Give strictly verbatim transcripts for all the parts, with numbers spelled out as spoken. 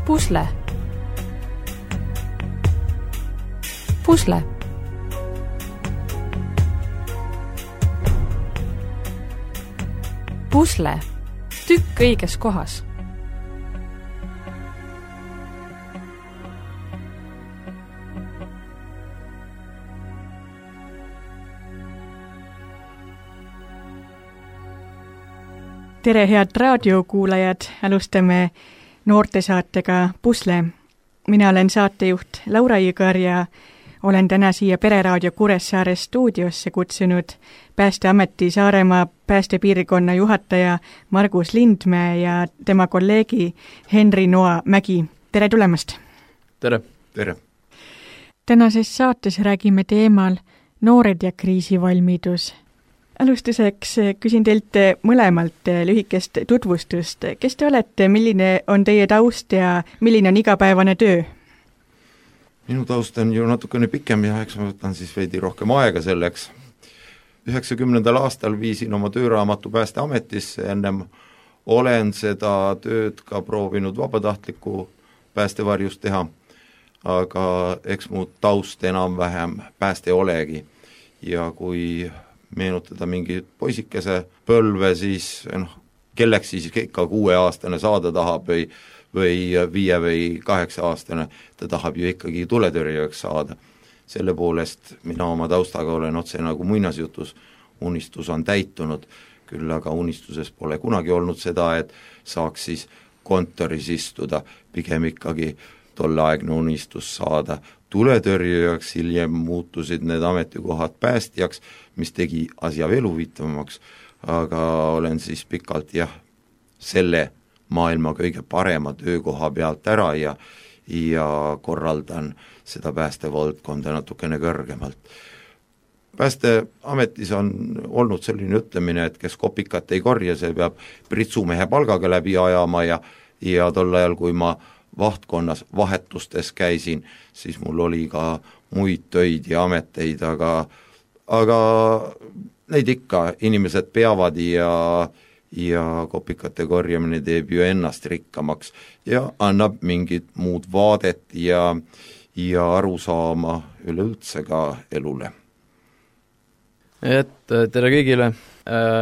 Pusle. Pusle. Pusle. Tükk õiges kohas. Tere, head raadiokuulajad, alustame noortesaatega Pusle. Mina olen saatejuht Laura Jõgar ja olen täna siia Pereraadio Kuressaare stuudiosse kutsunud Päästeameti Saaremaa päästepiirkonna juhataja Margus Lindmäe ja tema kolleegi Henri Noa Mägi. Tere tulemast! Tere! Tere! Tänases saates räägime teemal noored ja kriisivalmidus. Alustuseks küsin teilt mõlemalt lühikest tutvustust. Kes te olete, milline on teie taust ja milline on igapäevane töö? Minu taust on ju natukene pikem ja eks ma võtan siis veidi rohkem aega selleks. üheksakümnendal aastal viisin oma tööraamatu Päästeametisse, ennem olen seda tööd ka proovinud vabatahtliku päästevarjus teha, aga eks mu taust enam-vähem pääste olegi ja kui meenutada mingi poisikese põlve, siis noh, kelleks siis ikka kuueaastane saada tahab või, või viie või kaheksa aastane, ta tahab ju ikkagi tuletõrjujaks saada. Selle poolest mina oma taustaga olen otse nagu muinasjutus, unistus on täitunud, küll aga unistuses pole kunagi olnud seda, et saaks siis kontoris istuda, pigem ikkagi tolleaegne unistus saada tuletõrjujaks, hiljem muutusid need ametikohad päästjaks, mis tegi asja veel huvitavamaks, aga olen siis pikalt jah, selle maailma kõige parema töökoha pealt ära ja, ja korraldan seda päästevaldkonda natukene kõrgemalt. Päästeametis on olnud selline ütlemine, et kes kopikat ei korja, see peab pritsumehe palgaga läbi ajama ja, ja tol ajal, kui ma vahtkonnas vahetustes käisin, siis mul oli ka muid töid ja ameteid, aga, aga neid ikka inimesed peavad ja, ja kopikate korjamine teeb ju ennast rikkamaks ja annab mingit muud vaadet ja, ja arusaama üleüldse ka elule. Et tere kõigile,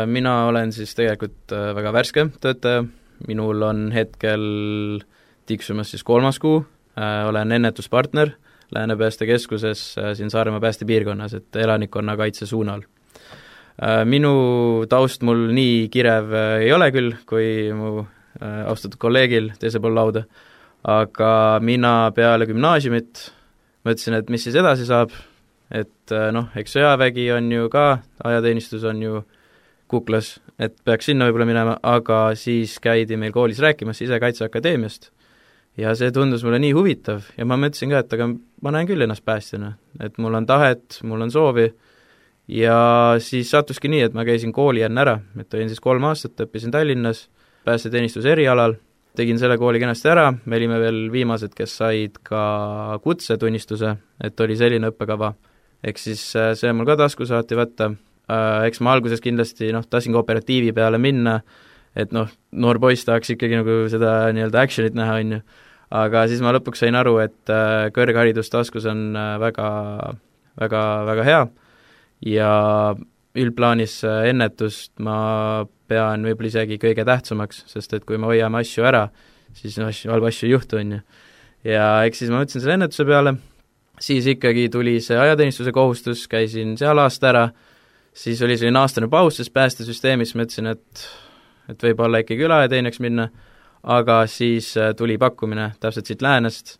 mina olen siis tegelikult väga värske töötaja, minul on hetkel tiksumas siis kolmas kuu, äh, olen ennetuspartner Lääne-Pääste keskuses äh, siin Saaremaa päästepiirkonnas, et elanikkonna kaitse suunal. Äh, minu taust mul nii kirev äh, ei ole küll, kui mu äh, austatud kolleegil teise pool lauda, aga mina peale gümnaasiumit mõtlesin, et mis siis edasi saab, et äh, noh, eks sõjavägi on ju ka, ajateenistus on ju kuklas, et peaks sinna võib-olla minema, aga siis käidi meil koolis rääkimas Sisekaitseakadeemiast, ja see tundus mulle nii huvitav ja ma mõtlesin ka, et aga ma näen küll ennast päästjana, et mul on tahet, mul on soovi ja siis sattuski nii, et ma käisin kooli enne ära, et olin siis kolm aastat, õppisin Tallinnas päästeteenistuse erialal, tegin selle kooli kenasti ära, me olime veel viimased, kes said ka kutsetunnistuse, et oli selline õppekava, eks siis see mul ka tasku saati võtta, eks ma alguses kindlasti noh, tahtsin ka operatiivi peale minna, et noh, noor poiss tahaks ikkagi nagu seda nii-öelda actionit näha, on ju. Aga siis ma lõpuks sain aru, et kõrgharidus taskus on väga, väga, väga hea ja üldplaanis ennetust ma pean võib-olla isegi kõige tähtsamaks, sest et kui me hoiame asju ära, siis no, asju, halba asju ei juhtu, on ju. Ja eks siis ma mõtlesin selle ennetuse peale, siis ikkagi tuli see ajateenistuse kohustus, käisin seal aasta ära, siis oli selline aastane paus, sest päästesüsteemis mõtlesin, et et võib-olla ikkagi üle ajateenijaks minna, aga siis tuli pakkumine täpselt siit läänest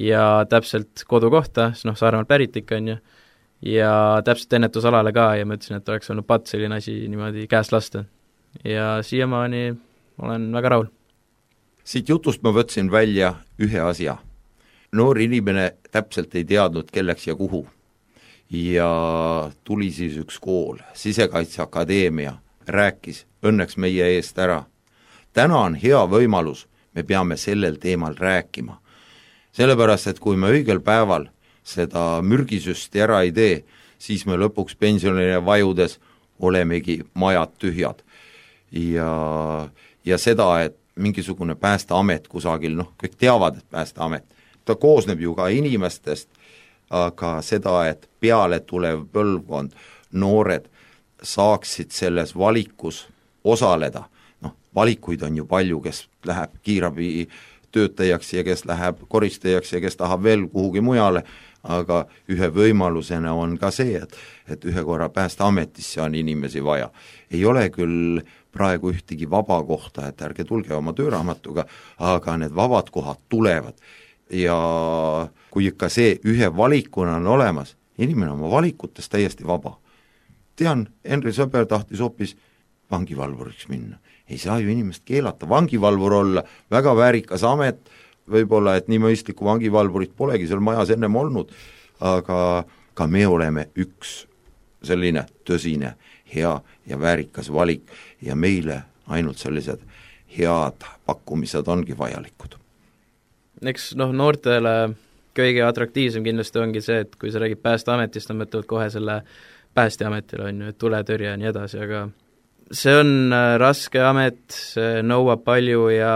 ja täpselt kodukohta, siis noh, Saaremaalt pärit ikka on ju, ja täpselt ennetusalale ka ja mõtlesin, et oleks olnud pat selline asi niimoodi käest lasta. Ja siiamaani olen väga rahul. Siit jutust ma võtsin välja ühe asja. Noor inimene täpselt ei teadnud, kelleks ja kuhu. Ja tuli siis üks kool, Sisekaitseakadeemia, rääkis õnneks meie eest ära. Täna on hea võimalus, me peame sellel teemal rääkima. Sellepärast, et kui me õigel päeval seda mürgisüsti ära ei tee, siis me lõpuks pensionile vajudes olemegi majad tühjad. Ja, ja seda, et mingisugune päästeamet kusagil, noh, kõik teavad, et päästeamet, ta koosneb ju ka inimestest, aga seda, et peale tulev põlvkond, noored saaksid selles valikus osaleda, noh, valikuid on ju palju, kes läheb kiirabi töötajaks ja kes läheb koristajaks ja kes tahab veel kuhugi mujale, aga ühe võimalusena on ka see, et, et ühe korra päästeametisse on inimesi vaja. Ei ole küll praegu ühtegi vaba kohta, et ärge tulge oma tööraamatuga, aga need vabad kohad tulevad. Ja kui ikka see ühe valikuna on olemas, inimene oma valikutes täiesti vaba. Tean, Henri Sõber tahtis hoopis vangivalvuriks minna. Ei saa ju inimest keelata, vangivalvur olla, väga väärikas amet, võib-olla, et nii mõistlikku vangivalvurit polegi seal majas ennem olnud, aga ka me oleme üks selline tõsine, hea ja väärikas valik ja meile ainult sellised head pakkumised ongi vajalikud. Eks noh, noortele kõige atraktiivsem kindlasti ongi see, et kui sa räägid päästeametist, on mõtlevad kohe selle päästeametile, on ju, et tuletõrje ja nii edasi, aga see on raske amet, see nõuab palju ja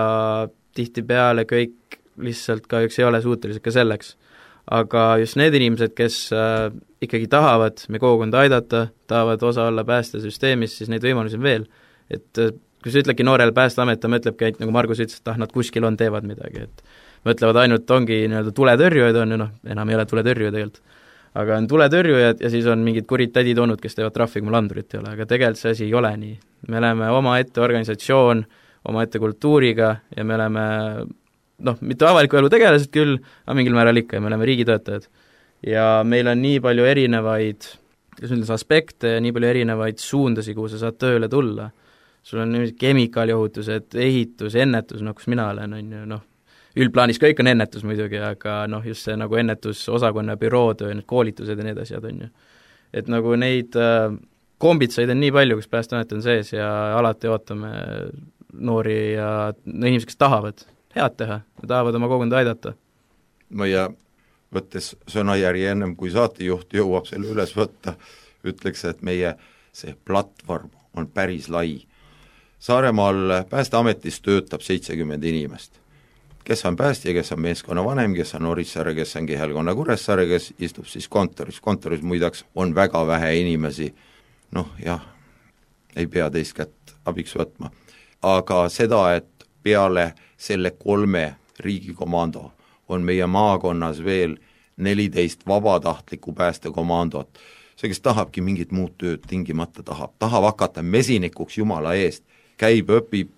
tihtipeale kõik lihtsalt kahjuks ei ole suutelised ka selleks. Aga just need inimesed, kes äh, ikkagi tahavad me kogukonda aidata, tahavad osa olla päästesüsteemis, siis neid võimalusi on veel. Et äh, kui sa ütledki noorele päästeamet, ta mõtlebki ainult, nagu Margus ütles, et ah, nad kuskil on, teevad midagi, et mõtlevad ainult, ongi nii-öelda tuletõrjujad on ju, noh, enam ei ole tuletõrjuja tegelikult. Aga on tuletõrjujad ja siis on mingid kurid tädid olnud, kes teevad trahvi, kui mul andurit ei ole, aga tegelikult see asi ei ole nii. Me oleme omaette organisatsioon, omaette kultuuriga ja me oleme noh, mitte avaliku elu tegelased küll, aga mingil määral ikka ja me oleme riigitöötajad. Ja meil on nii palju erinevaid, kas ütles, aspekte ja nii palju erinevaid suundasi, kuhu sa saad tööle tulla. Sul on kemikaaliohutused, ehitus, ennetus, noh, kus mina olen, on ju, noh, üldplaanis kõik on ennetus muidugi, aga noh, just see nagu ennetusosakonna bürootöö, need koolitused ja need asjad on ju. Et nagu neid äh, kombitsaid on nii palju, kus päästeamet on sees ja alati ootame noori ja no, inimesed, kes tahavad head teha, tahavad oma kogukonda aidata. Ma ja võttes sõnajärgi ennem, kui saatejuht jõuab selle üles võtta, ütleks, et meie see platvorm on päris lai. Saaremaal päästeametis töötab seitsekümmend inimest. Kes on päästja, kes on meeskonna vanem, kes on Orissaare, kes on Kihelkonna Kuressaare, kes istub siis kontoris. Kontoris muidaks on väga vähe inimesi, noh jah, ei pea teist kätt abiks võtma. Aga seda, et peale selle kolme riigikomando on meie maakonnas veel neliteist vabatahtliku päästekomandot. See, kes tahabki mingit muud tööd tingimata tahab, tahab hakata mesinikuks jumala eest, käib, õpib,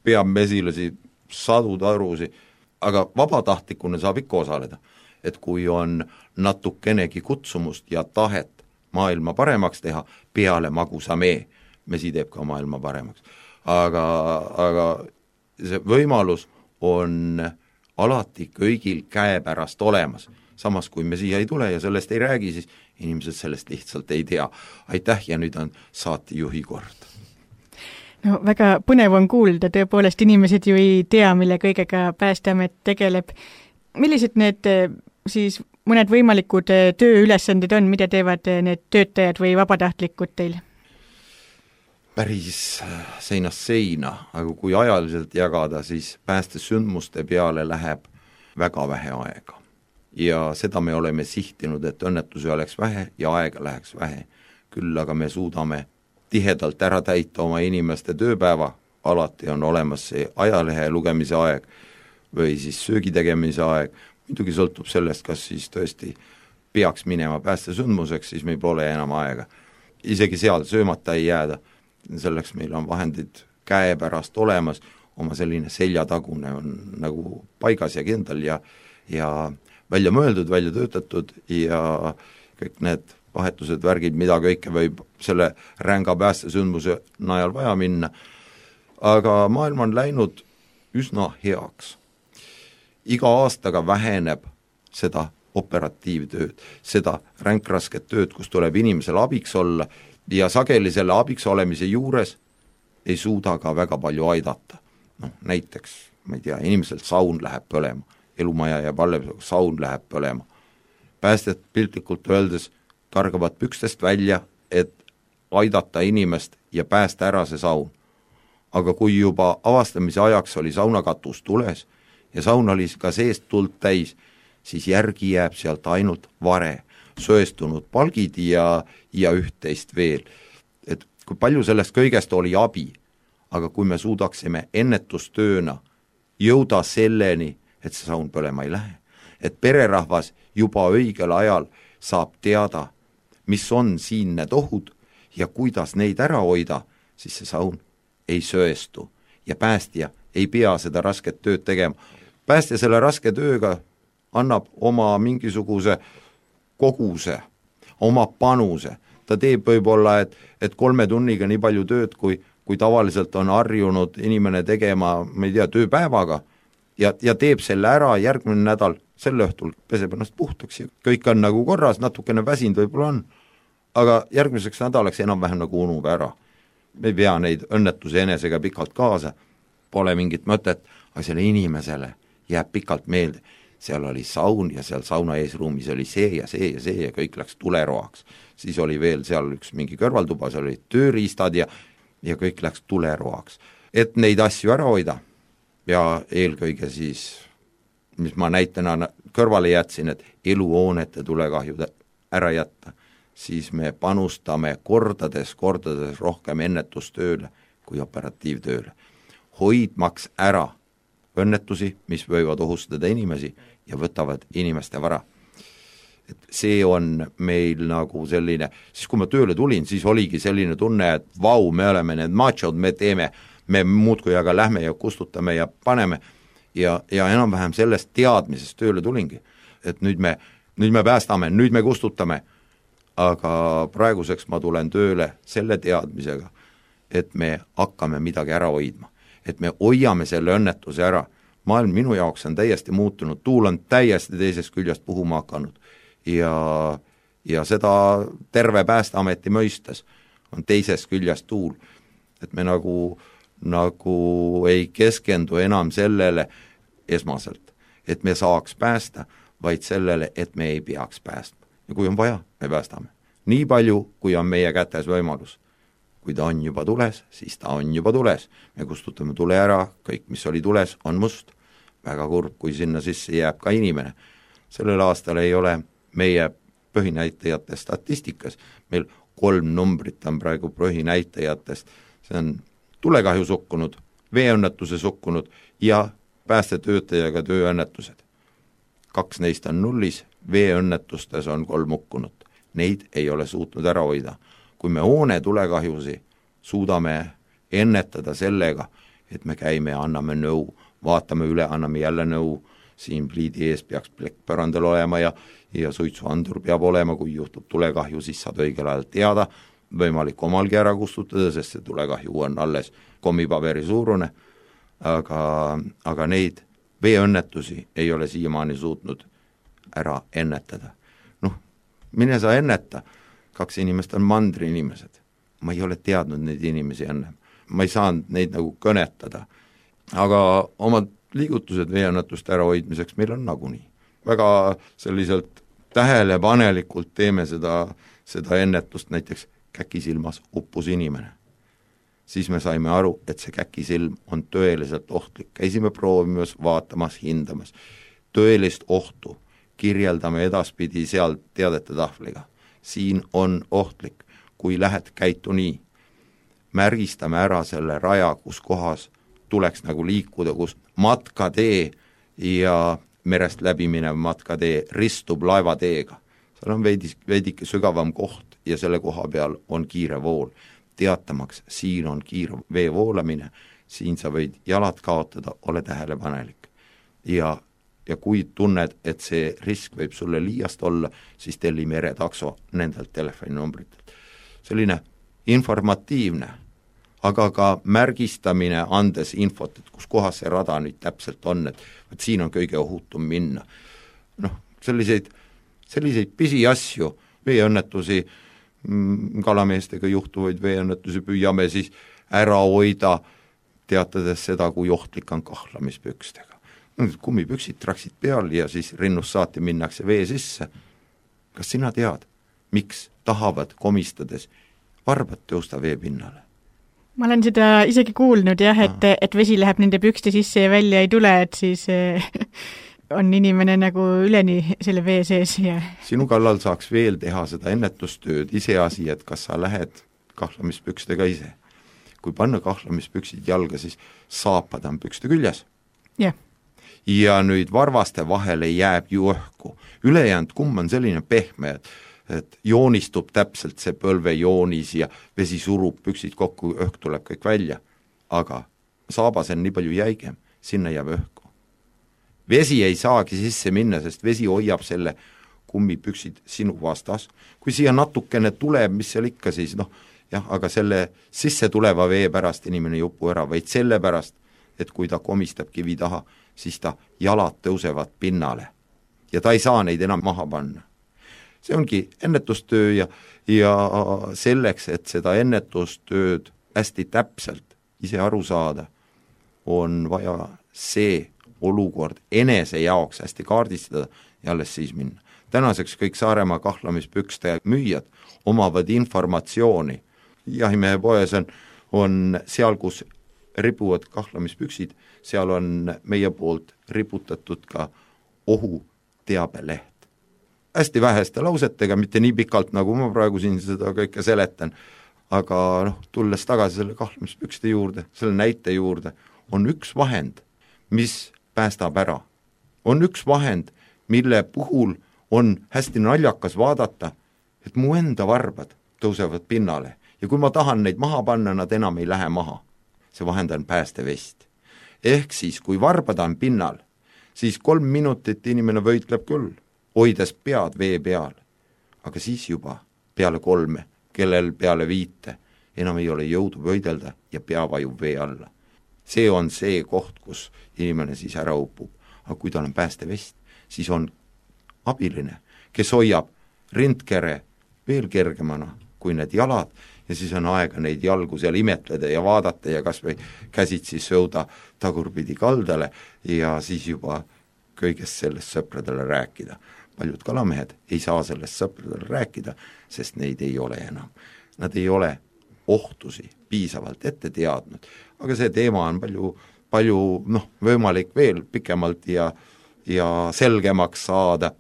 peab mesilasi, sadu tarusi, aga vabatahtlikuna saab ikka osaleda. Et kui on natukenegi kutsumust ja tahet maailma paremaks teha, peale magusa mee, mesi teeb ka maailma paremaks. Aga, aga see võimalus on alati kõigil käepärast olemas. Samas, kui me siia ei tule ja sellest ei räägi, siis inimesed sellest lihtsalt ei tea. Aitäh ja nüüd on saatejuhi kord. No väga põnev on kuulda, tõepoolest inimesed ju ei tea, mille kõigega päästeamet tegeleb. Millised need siis mõned võimalikud tööülesanded on, mida teevad need töötajad või vabatahtlikud teil? Päris seinast seina, aga kui ajaliselt jagada, siis päästesündmuste peale läheb väga vähe aega. Ja seda me oleme sihtinud, et õnnetusi oleks vähe ja aega läheks vähe. Küll aga me suudame tihedalt ära täita oma inimeste tööpäeva, alati on olemas see ajalehe lugemise aeg või siis söögi tegemise aeg, muidugi sõltub sellest, kas siis tõesti peaks minema päästesündmuseks, siis meil pole enam aega. Isegi seal söömata ei jääda. Selleks meil on vahendid käepärast olemas, oma selline seljatagune on nagu paigas ja kindel ja, ja välja mõeldud, välja töötatud ja kõik need vahetused, värgid, mida kõike võib selle ränga päästesündmuse najal vaja minna. Aga maailm on läinud üsna heaks. Iga aastaga väheneb seda operatiivtööd, seda ränkrasket tööd, kus tuleb inimesel abiks olla ja sageli selle abiks olemise juures ei suuda ka väga palju aidata. No, näiteks, ma ei tea, inimeselt saun läheb põlema, elumaja jääb alles, saun läheb põlema. Päästet piltlikult öeldes kargavad pükstest välja, et aidata inimest ja päästa ära see saun. aga kui juba avastamise ajaks oli saunakatus tules ja saun oli ka seest tuld täis, siis järgi jääb sealt ainult vare, söestunud palgid ja, ja üht-teist veel. Et kui palju sellest kõigest oli abi, aga kui me suudaksime ennetustööna jõuda selleni, et see saun põlema ei lähe, et pererahvas juba õigel ajal saab teada, mis on siin need ohud ja kuidas neid ära hoida, siis see saun ei söestu ja päästja ei pea seda rasket tööd tegema. Päästja selle raske tööga annab oma mingisuguse koguse, oma panuse. Ta teeb võib-olla, et, et kolme tunniga nii palju tööd, kui, kui tavaliselt on harjunud inimene tegema, ma ei tea, tööpäevaga ja, ja teeb selle ära järgmine nädal, selle õhtul peseb ennast puhtaks ja kõik on nagu korras, natukene väsinud võib-olla on, aga järgmiseks nädalaks enam-vähem nagu unub ära. Me ei pea neid õnnetusi enesega pikalt kaasa, pole mingit mõtet, aga selle inimesele jääb pikalt meelde. Seal oli saun ja seal sauna eesruumis oli see ja see ja see ja kõik läks tuleroaks. Siis oli veel seal üks mingi kõrvaltuba, seal olid tööriistad ja, ja kõik läks tuleroaks. Et neid asju ära hoida ja eelkõige siis, mis ma näitena kõrvale jätsin, et eluhoonete tulekahjud ära jätta, siis me panustame kordades, kordades rohkem ennetustööle kui operatiivtööle. Hoidmaks ära õnnetusi, mis võivad ohustada inimesi ja võtavad inimeste vara. Et see on meil nagu selline, siis kui ma tööle tulin, siis oligi selline tunne, et vau, me oleme need machod, me teeme, me muudkui aga lähme ja kustutame ja paneme ja, ja enam-vähem sellest teadmisest tööle tulingi. Et nüüd me, nüüd me päästame, nüüd me kustutame, aga praeguseks ma tulen tööle selle teadmisega, et me hakkame midagi ära hoidma. Et me hoiame selle õnnetuse ära. Maailm minu jaoks on täiesti muutunud, tuul on täiesti teisest küljest puhuma hakanud ja, ja seda terve Päästeameti mõistes on teisest küljest tuul, et me nagu, nagu ei keskendu enam sellele esmaselt, et me saaks päästa, vaid sellele, et me ei peaks päästma. Ja kui on vaja, me päästame. Nii palju, kui on meie kätes võimalus. Kui ta on juba tules, siis ta on juba tules. Me kustutame tule ära, kõik, mis oli tules, on must. Väga kurb, kui sinna sisse jääb ka inimene. Sellel aastal ei ole meie põhinäitajate statistikas. Meil kolm numbrit on praegu põhinäitajatest. See on tulekahju sukkunud, veeõnnetuse sukkunud ja päästetöötajaga tööõnnetused. Kaks neist on nullis, veeõnnetustes on kolm hukkunut. Neid ei ole suutnud ära hoida. Kui me hoone tulekahjusi suudame ennetada sellega, et me käime ja anname nõu, vaatame üle, anname jälle nõu, siin pliidi ees peaks plekk põrandal olema ja, ja suitsuandur peab olema, kui juhtub tulekahju, siis saad õigel ajal teada, võimalik omalgi ära kustutada, sest see tulekahju on alles kommipaberi suurune, aga, aga neid veeõnnetusi ei ole siiamaani suutnud ära ennetada. Noh, mine sa enneta, kaks inimest on mandri inimesed. Ma ei ole teadnud neid inimesi enne. Ma ei saanud neid nagu kõnetada. Aga omad liigutused veeõnnetuste ärahoidmiseks meil on nagunii. Väga selliselt tähelepanelikult teeme seda, seda ennetust, näiteks käkisilmas uppus inimene. Siis me saime aru, et see käkisilm on tõeliselt ohtlik. Käisime proovimas, vaatamas, hindamas. Tõelist ohtu kirjeldame edaspidi seal teadete tahvliga. Siin on ohtlik, kui lähed käitu nii. Märgistame ära selle raja, kus kohas tuleks nagu liikuda, kus matkatee ja merest läbi minev matkatee ristub laevateega. Seal on veidi, veidike sügavam koht ja selle koha peal on kiire vool. Teatamaks, siin on kiire vee voolamine, siin sa võid jalad kaotada, ole tähelepanelik. Ja ja kui tunned, et see risk võib sulle liiast olla, siis telli meretakso nendelt telefoninumbritelt. Selline informatiivne, aga ka märgistamine andes infot, et kus kohas see rada nüüd täpselt on, et, et siin on kõige ohutum minna. Noh, selliseid, selliseid pisi asju, veeõnnetusi, kalameestega juhtuvaid veeõnnetusi püüame siis ära hoida, teatades seda, kui ohtlik on kahlamispükstega. Kummipüksid traksid peal ja siis rinnust saati minnakse vee sisse. Kas sina tead, miks tahavad komistades varbad tõusta vee pinnale? ma olen seda isegi kuulnud jah, et, et vesi läheb nende pükste sisse ja välja ei tule, et siis on inimene nagu üleni selle vee sees ja sinu kallal saaks veel teha seda ennetustööd, iseasi, et kas sa lähed kahlamispükstega ise. Kui panna kahlamispüksid jalga, siis saapad on pükste küljes. jah. Ja nüüd varvaste vahele jääb ju õhku. Ülejäänud kumm on selline pehme, et et joonistub täpselt see põlvejoonis ja vesi surub püksid kokku, õhk tuleb kõik välja. Aga saabas on nii palju jäigem, sinna jääb õhku. Vesi ei saagi sisse minna, sest vesi hoiab selle kummipüksid sinu vastas. Kui siia natukene tuleb, mis seal ikka siis, noh, jah, aga selle sisse tuleva vee pärast inimene ei upu ära, vaid selle pärast, et kui ta komistab kivi taha, siis ta jalad tõusevad pinnale ja ta ei saa neid enam maha panna. See ongi ennetustöö ja, ja selleks, et seda ennetustööd hästi täpselt ise aru saada, on vaja see olukord enese jaoks hästi kaardistada ja alles siis minna. Tänaseks kõik Saaremaa kahlamispükste müüjad omavad informatsiooni. Jahimehe poes on, on seal, kus ribuvad kahlamispüksid, seal on meie poolt riputatud ka ohuteabeleht. Hästi väheste lausetega, mitte nii pikalt, nagu ma praegu siin seda kõike seletan, aga noh, tulles tagasi selle kahlamispükste juurde, selle näite juurde, on üks vahend, mis päästab ära. On üks vahend, mille puhul on hästi naljakas vaadata, et mu enda varbad tõusevad pinnale ja kui ma tahan neid maha panna, nad enam ei lähe maha. See vahend on päästevest. Ehk siis, kui varbad on pinnal, siis kolm minutit inimene võitleb küll, hoides pead vee peal, aga siis juba peale kolme, kellel peale viite, enam ei ole jõudu võidelda ja pea vajub vee alla. See on see koht, kus inimene siis ära upub, aga kui tal on päästevest, siis on abiline, kes hoiab rindkere veel kergemana kui need jalad ja siis on aega neid jalgu seal imetleda ja vaadata ja kas või käsid siis sõuda tagurpidi kaldale ja siis juba kõigest sellest sõpradele rääkida. Paljud kalamehed ei saa sellest sõpradele rääkida, sest neid ei ole enam. Nad ei ole ohtusi piisavalt ette teadnud, aga see teema on palju, palju noh, võimalik veel pikemalt ja, ja selgemaks saada,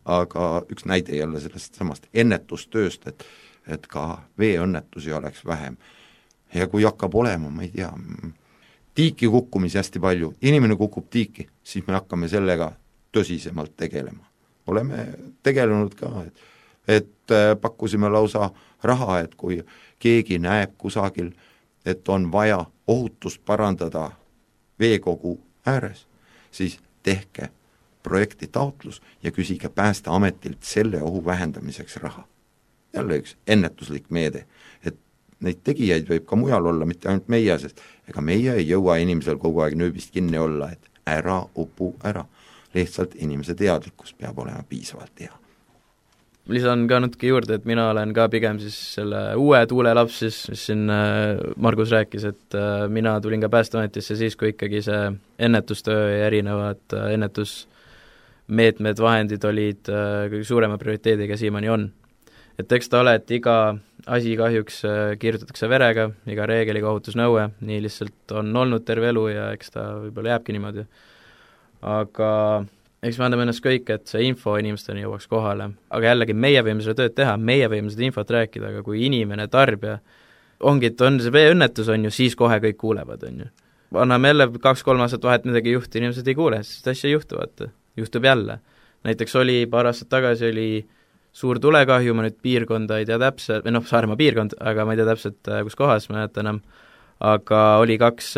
aga üks näide jälle sellest samast ennetustööst, et, et ka veeõnnetusi oleks vähem. Ja kui hakkab olema, ma ei tea, tiiki kukkumisi hästi palju, inimene kukub tiiki, siis me hakkame sellega tõsisemalt tegelema. Oleme tegelenud ka, et, et pakkusime lausa raha, et kui keegi näeb kusagil, et on vaja ohutust parandada veekogu ääres, siis tehke projekti taotlus ja küsige Päästeametilt selle ohu vähendamiseks raha. Jälle üks ennetuslik meede, et neid tegijaid võib ka mujal olla, mitte ainult meie, sest ega meie ei jõua inimesel kogu aeg nööbist kinni olla, et ära upu ära. Lihtsalt inimese teadlikkus peab olema piisavalt hea. Lisan ka natuke juurde, et mina olen ka pigem siis selle uue tuulelaps, siis, mis siin Margus rääkis, et mina tulin ka Päästeametisse siis, kui ikkagi see ennetustöö ja erinevad ennetusmeetmed, vahendid olid kõige suurema prioriteediga siiamaani on. Et eks ta ole, et iga asi kahjuks kirjutatakse verega, iga reegeliga ohutusnõue, nii lihtsalt on olnud terve elu ja eks ta võib-olla jääbki niimoodi. Aga eks me anname ennast kõik, et see info inimesteni jõuaks kohale. Aga jällegi, meie võime seda tööd teha, meie võime seda infot rääkida, aga kui inimene, tarbija, ongi, et on see veeõnnetus, on ju, siis kohe kõik kuulevad, on ju. Anname jälle kaks-kolm aastat vahet midagi juhti, inimesed ei kuule, sest asja juhtuvad, juhtub jälle. Näiteks oli paar aastat tagasi oli suur tulekahju, ma nüüd piirkonda ei tea täpselt, või noh, Saaremaa piirkond, aga ma ei tea täpselt, kus kohas, ma näetan enam, aga oli kaks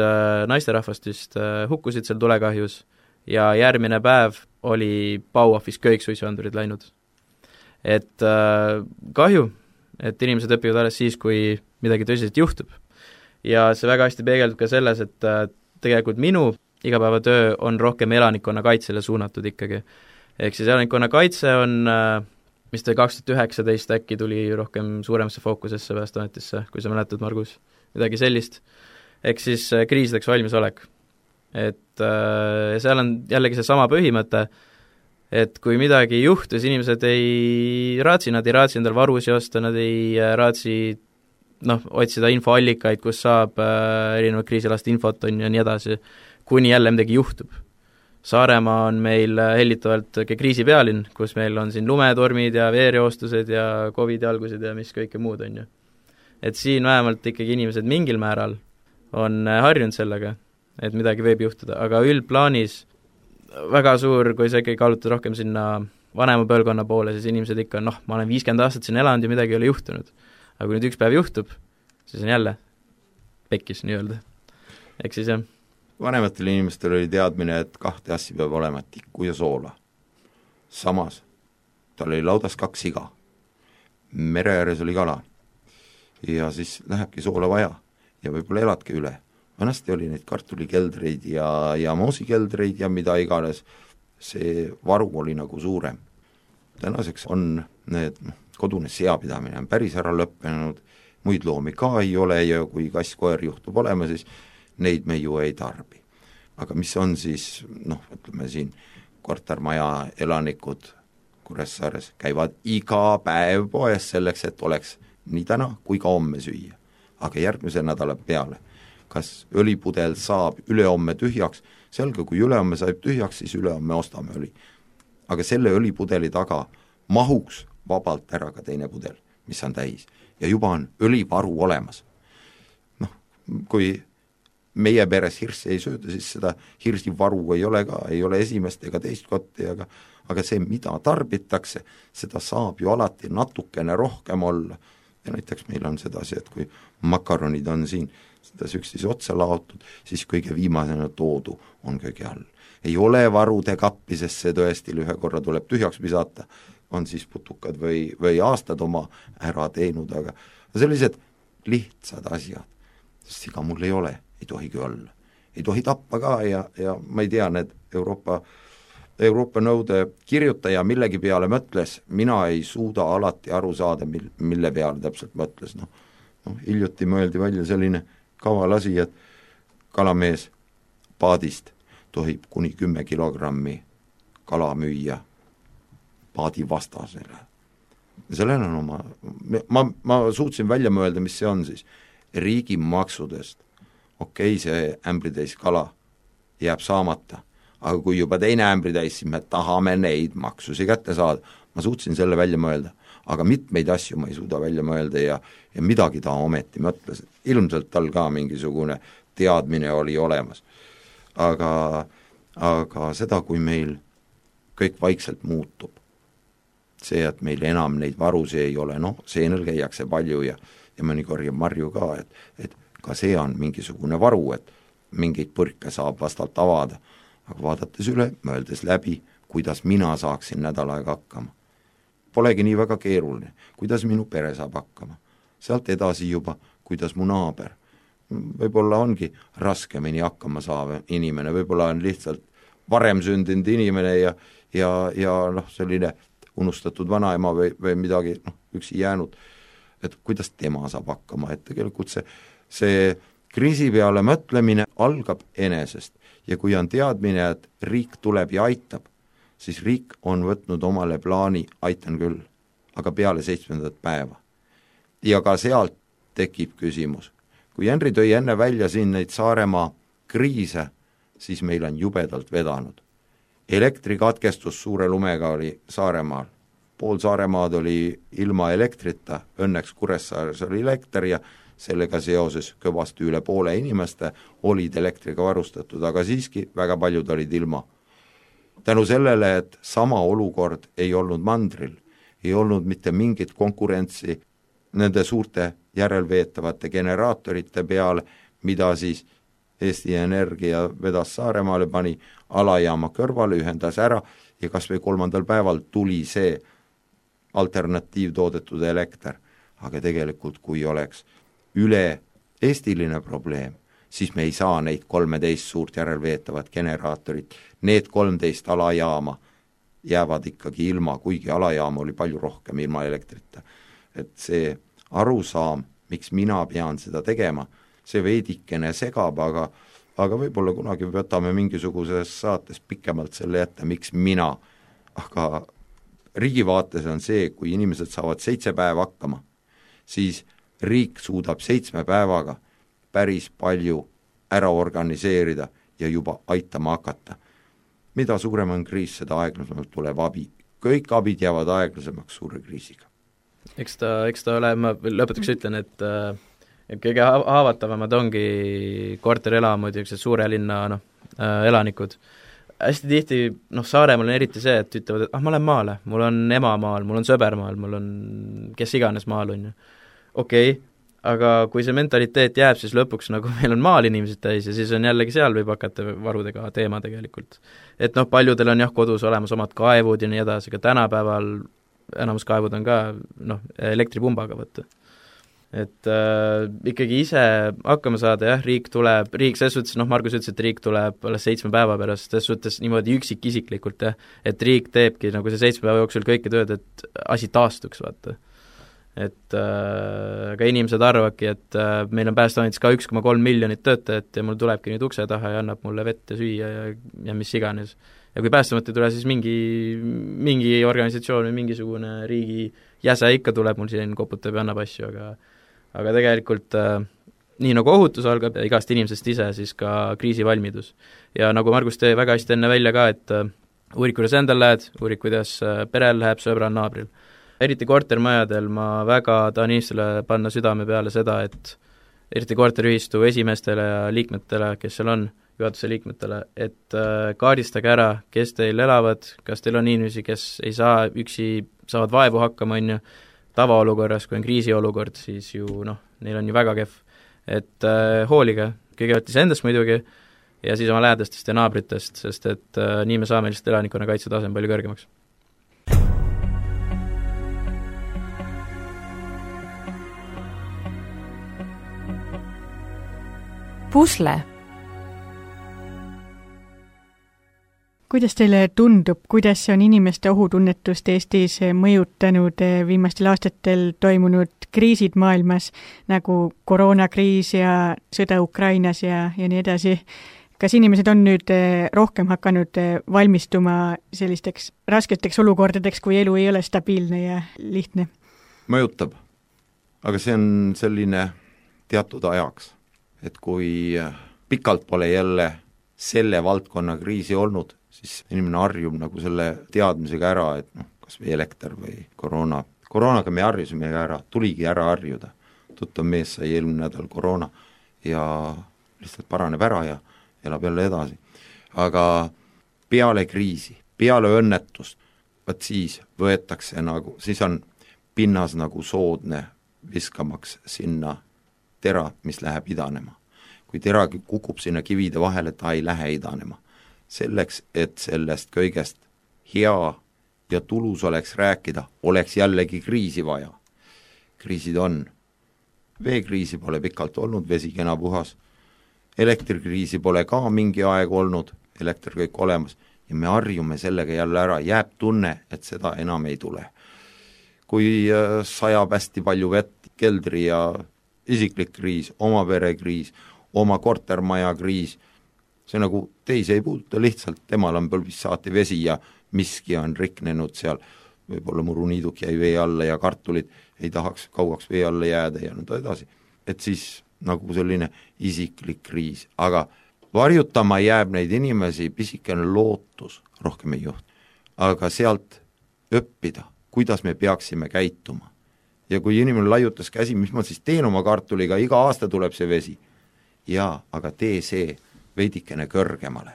naisterahvast vist hukkusid seal tulekahjus ja järgmine päev oli Bauhofis kõik suitsuandurid läinud. Et äh, kahju, et inimesed õpivad alles siis, kui midagi tõsiselt juhtub. Ja see väga hästi peegeldub ka selles, et äh, tegelikult minu igapäevatöö on rohkem elanikkonna kaitsele suunatud ikkagi. Ehk siis elanikkonna kaitse on, äh, mis ta kaks tuhat üheksateist äkki tuli rohkem suuremasse fookusesse Päästeametisse, kui sa mäletad, Margus, midagi sellist. Ehk siis äh, kriisideks valmisolek. Et äh, seal on jällegi see sama põhimõte, et kui midagi juhtus, inimesed ei raatsi, nad ei raatsi endal varusi osta, nad ei raatsi noh, otsida infoallikaid, kus saab äh, erinevad kriisilast infot on ja nii edasi, kuni jälle midagi juhtub. Saaremaa on meil hellitavalt kriisi pealinn, kus meil on siin lumetormid ja veereostused ja Covidi algused ja mis kõike muud on ju. Et siin vähemalt ikkagi inimesed mingil määral on harjunud sellega, et midagi võib juhtuda, aga üldplaanis väga suur, kui sa ikkagi kaalutad rohkem sinna vanema põlvkonna poole, siis inimesed ikka, noh, ma olen viiskümmend aastat siin elanud ja midagi ei ole juhtunud. Aga kui nüüd üks päev juhtub, siis on jälle pekkis nii-öelda. Eks siis jah. Vanematel inimestel oli teadmine, et kahte asja peab olema, tikku ja soola. Samas, tal oli laudas kaks siga. Mere ääres oli kala. Ja siis lähebki soola vaja ja võib-olla eladki üle. Vanasti oli neid kartulikeldreid ja, ja moosikeldreid ja mida iganes. See varu oli nagu suurem. Tänaseks on need kodune seapidamine on päris ära lõppenud, muid loomi ka ei ole ja kui kass-koer juhtub olema, siis neid me ju ei tarbi. Aga mis on siis, noh, ütleme siin, kortermaja elanikud Kuressaares käivad iga päev poes selleks, et oleks nii täna kui ka homme süüa. Aga järgmise nädala peale, kas õlipudel saab ülehomme tühjaks, selge, kui ülehomme saab tühjaks, siis ülehomme ostame õli. Aga selle õlipudeli taga mahuks vabalt ära ka teine pudel, mis on täis. Ja juba on õlivaru olemas. Noh, kui meie peres hirsi ei sööda, siis seda hirsi varu ei ole ka, ei ole esimest ega teist kotti, aga, aga see, mida tarbitakse, seda saab ju alati natukene rohkem olla. Ja näiteks meil on sedasi, et kui makaronid on siin, seda üksteise otsa laotud, siis kõige viimasena toodu on kõige all. Ei ole varude kappi, sest see tõesti ühe korra tuleb tühjaks visata, on siis putukad või, või aastad oma ära teinud, aga sellised lihtsad asjad, sest siga mul ei ole, ei tohigi olla. Ei tohi tappa ka ja, ja ma ei tea, need Euroopa, Euroopa nõude kirjutaja millegi peale mõtles, mina ei suuda alati aru saada, mille peale täpselt mõtles. No, no, hiljuti mõeldi välja selline kaval asi, et kalamees paadist tohib kuni kümme kilogrammi kala müüa paadi vastasele. Sellel on oma, ma, ma suutsin välja mõelda, mis see on siis. Riigi maksudest, okei, okay, see ämbritäis kala jääb saamata, aga kui juba teine ämbritäis, siis me tahame neid maksusi kätte saada. Ma suutsin selle välja mõelda, aga mitmeid asju ma ei suuda välja mõelda ja, ja midagi ta ometi mõtles. Ilmselt tal ka mingisugune teadmine oli olemas. Aga, aga seda, kui meil kõik vaikselt muutub, see, et meil enam neid varusi ei ole, noh, seenel käiakse palju ja, ja mõni korjab marju ka, et, et ka see on mingisugune varu, et mingeid põrke saab vastalt avada. Aga vaadates üle, mõeldes läbi, kuidas mina saaksin nädal aega hakkama. Polegi nii väga keeruline, kuidas minu pere saab hakkama. Sealt edasi juba, kuidas mu naaber. Võib-olla ongi raskemini hakkama saava inimene, võib-olla on lihtsalt varem sündinud inimene ja, ja, ja noh, selline unustatud vanaema või, või midagi noh, üksi jäänud, et kuidas tema saab hakkama, et tegelikult see, see kriisi peale mõtlemine algab enesest ja kui on teadmine, et riik tuleb ja aitab, siis riik on võtnud omale plaani, aitan küll, aga peale seitsmendat päeva. Ja ka sealt tekib küsimus. Kui Henri tõi enne välja siin neid Saaremaa kriise, siis meil on jubedalt vedanud. Elektrikatkestus suure lumega oli Saaremaal. Pool Saaremaad oli ilma elektrita, õnneks Kuressaares oli elekter ja sellega seoses kõvasti üle poole inimeste olid elektriga varustatud, aga siiski väga paljud olid ilma. Tänu sellele, et sama olukord ei olnud mandril, ei olnud mitte mingit konkurentsi nende suurte järelveetavate generaatorite peale, mida siis Eesti Energia vedas Saaremaale, pani alajaama kõrvale, ühendas ära ja kas või kolmandal päeval tuli see alternatiivtoodetud elekter. Aga tegelikult, kui oleks üle eestiline probleem, siis me ei saa neid kolmeteist suurt järelveetavat generaatorit. Need kolmteist alajaama jäävad ikkagi ilma, kuigi alajaam oli palju rohkem ilma elektrita. Et see arusaam, miks mina pean seda tegema, see veidikene segab, aga, aga võib-olla kunagi võtame mingisuguses saates pikemalt selle ette, miks mina. Aga riigi vaates on see, kui inimesed saavad seitse päeva hakkama, siis riik suudab seitsme päevaga päris palju ära organiseerida ja juba aitama hakata. Mida suurem on kriis, seda aeglasemalt tuleb abi. Kõik abid jäävad aeglasemaks suure kriisiga. Eks ta, eks ta ole, ma lõpetaks ütlen, et, et kõige haavatavamad ongi korterelamud ja suure linna no, elanikud. Hästi tihti, noh, Saaremaal on eriti see, et ütlevad, et ah, ma olen maale, mul on ema maal, mul on sõber maal, mul on kes iganes maal on ju. Okei, okay, aga kui see mentaliteet jääb, siis lõpuks nagu meil on maal inimesed täis ja siis on jällegi seal võib hakata varudega teema tegelikult. Et noh, paljudel on jah kodus olemas omad kaevud ja nii edasi, aga tänapäeval enamus kaevud on ka noh, elektripumbaga võtta. Et äh, ikkagi ise hakkama saada, jah, riik tuleb, riik selles suhtes, noh, Margus ütles, et riik tuleb alles seitsme päeva pärast, selles suhtes niimoodi üksik isiklikult, jah, et riik teebki nagu see seitsme päeva jooksul kõike tööd, et asi taastuks, vaata. Et äh, ka inimesed arvavadki, et äh, meil on Päästeametis ka üks koma kolm miljonit töötajat ja mul tulebki nüüd ukse taha ja annab mulle vett ja süüa ja, ja mis iganes. Ja kui Päästeamet ei tule, siis mingi, mingi organisatsioon või mingisugune riigi jäse ikka tuleb mul siin koputab ja annab asju, aga aga tegelikult äh, nii nagu ohutus algab ja igast inimesest ise, siis ka kriisivalmidus. Ja nagu Margus tõi väga hästi enne välja ka, et äh, uurid, kuidas endal lähed, uurid, kuidas äh, perel läheb, sõbral, naabril. Eriti kortermajadel ma väga tahan inimestele panna südame peale seda, et eriti korteriühistu esimeestele ja liikmetele, kes seal on, juhatuse liikmetele, et äh, kaardistage ära, kes teil elavad, kas teil on inimesi, kes ei saa üksi, saavad vaevu hakkama, on ju, tavaolukorras, kui on kriisiolukord, siis ju noh, neil on ju väga kehv. Et äh, hoolige, kõigepealt iseendast muidugi, ja siis oma lähedastest ja naabritest, sest et äh, nii me saame lihtsalt elanikkonna kaitsetasem palju kõrgemaks. Pusle. Kuidas teile tundub, kuidas see on inimeste ohutunnetust Eestis mõjutanud viimastel aastatel toimunud kriisid maailmas, nagu koroonakriis ja sõda Ukrainas ja, ja nii edasi? Kas inimesed on nüüd rohkem hakanud valmistuma sellisteks rasketeks olukordadeks, kui elu ei ole stabiilne ja lihtne? Mõjutab, aga see on selline teatud ajaks, et kui pikalt pole jälle selle valdkonna kriisi olnud, siis inimene harjub nagu selle teadmisega ära, et noh, kas või elekter või koroona. Koroonaga me harjusime ära, tuligi ära harjuda. Tuttav mees sai eelmine nädal koroona ja lihtsalt paraneb ära ja elab jälle edasi. Aga peale kriisi, peale õnnetust, vaat siis võetakse nagu, siis on pinnas nagu soodne viskamaks sinna tera, mis läheb idanema. Kui tera kukub sinna kivide vahele, ta ei lähe idanema. Selleks, et sellest kõigest hea ja tulus oleks rääkida, oleks jällegi kriisi vaja. Kriisid on. Veekriisi pole pikalt olnud, vesi kena puhas. Elektrikriisi pole ka mingi aeg olnud, elekter kõik olemas. Ja me harjume sellega jälle ära, jääb tunne, et seda enam ei tule. Kui sajab hästi palju vett, keldri ja isiklik kriis, oma pere kriis, oma kortermaja kriis, see nagu teisi ei puuduta, lihtsalt temal on põlvis saati vesi ja miski on riknenud seal, võib-olla muruniiduk jäi vee alla ja kartulid ei tahaks kauaks vee alla jääda ja nõnda edasi. Et siis nagu selline isiklik kriis, aga varjutama jääb neid inimesi pisikene lootus, rohkem ei juht, aga sealt õppida, kuidas me peaksime käituma. Ja kui inimene laiutas käsi, mis ma siis teen oma kartuliga, iga aasta tuleb see vesi. Jaa, aga tee see veidikene kõrgemale.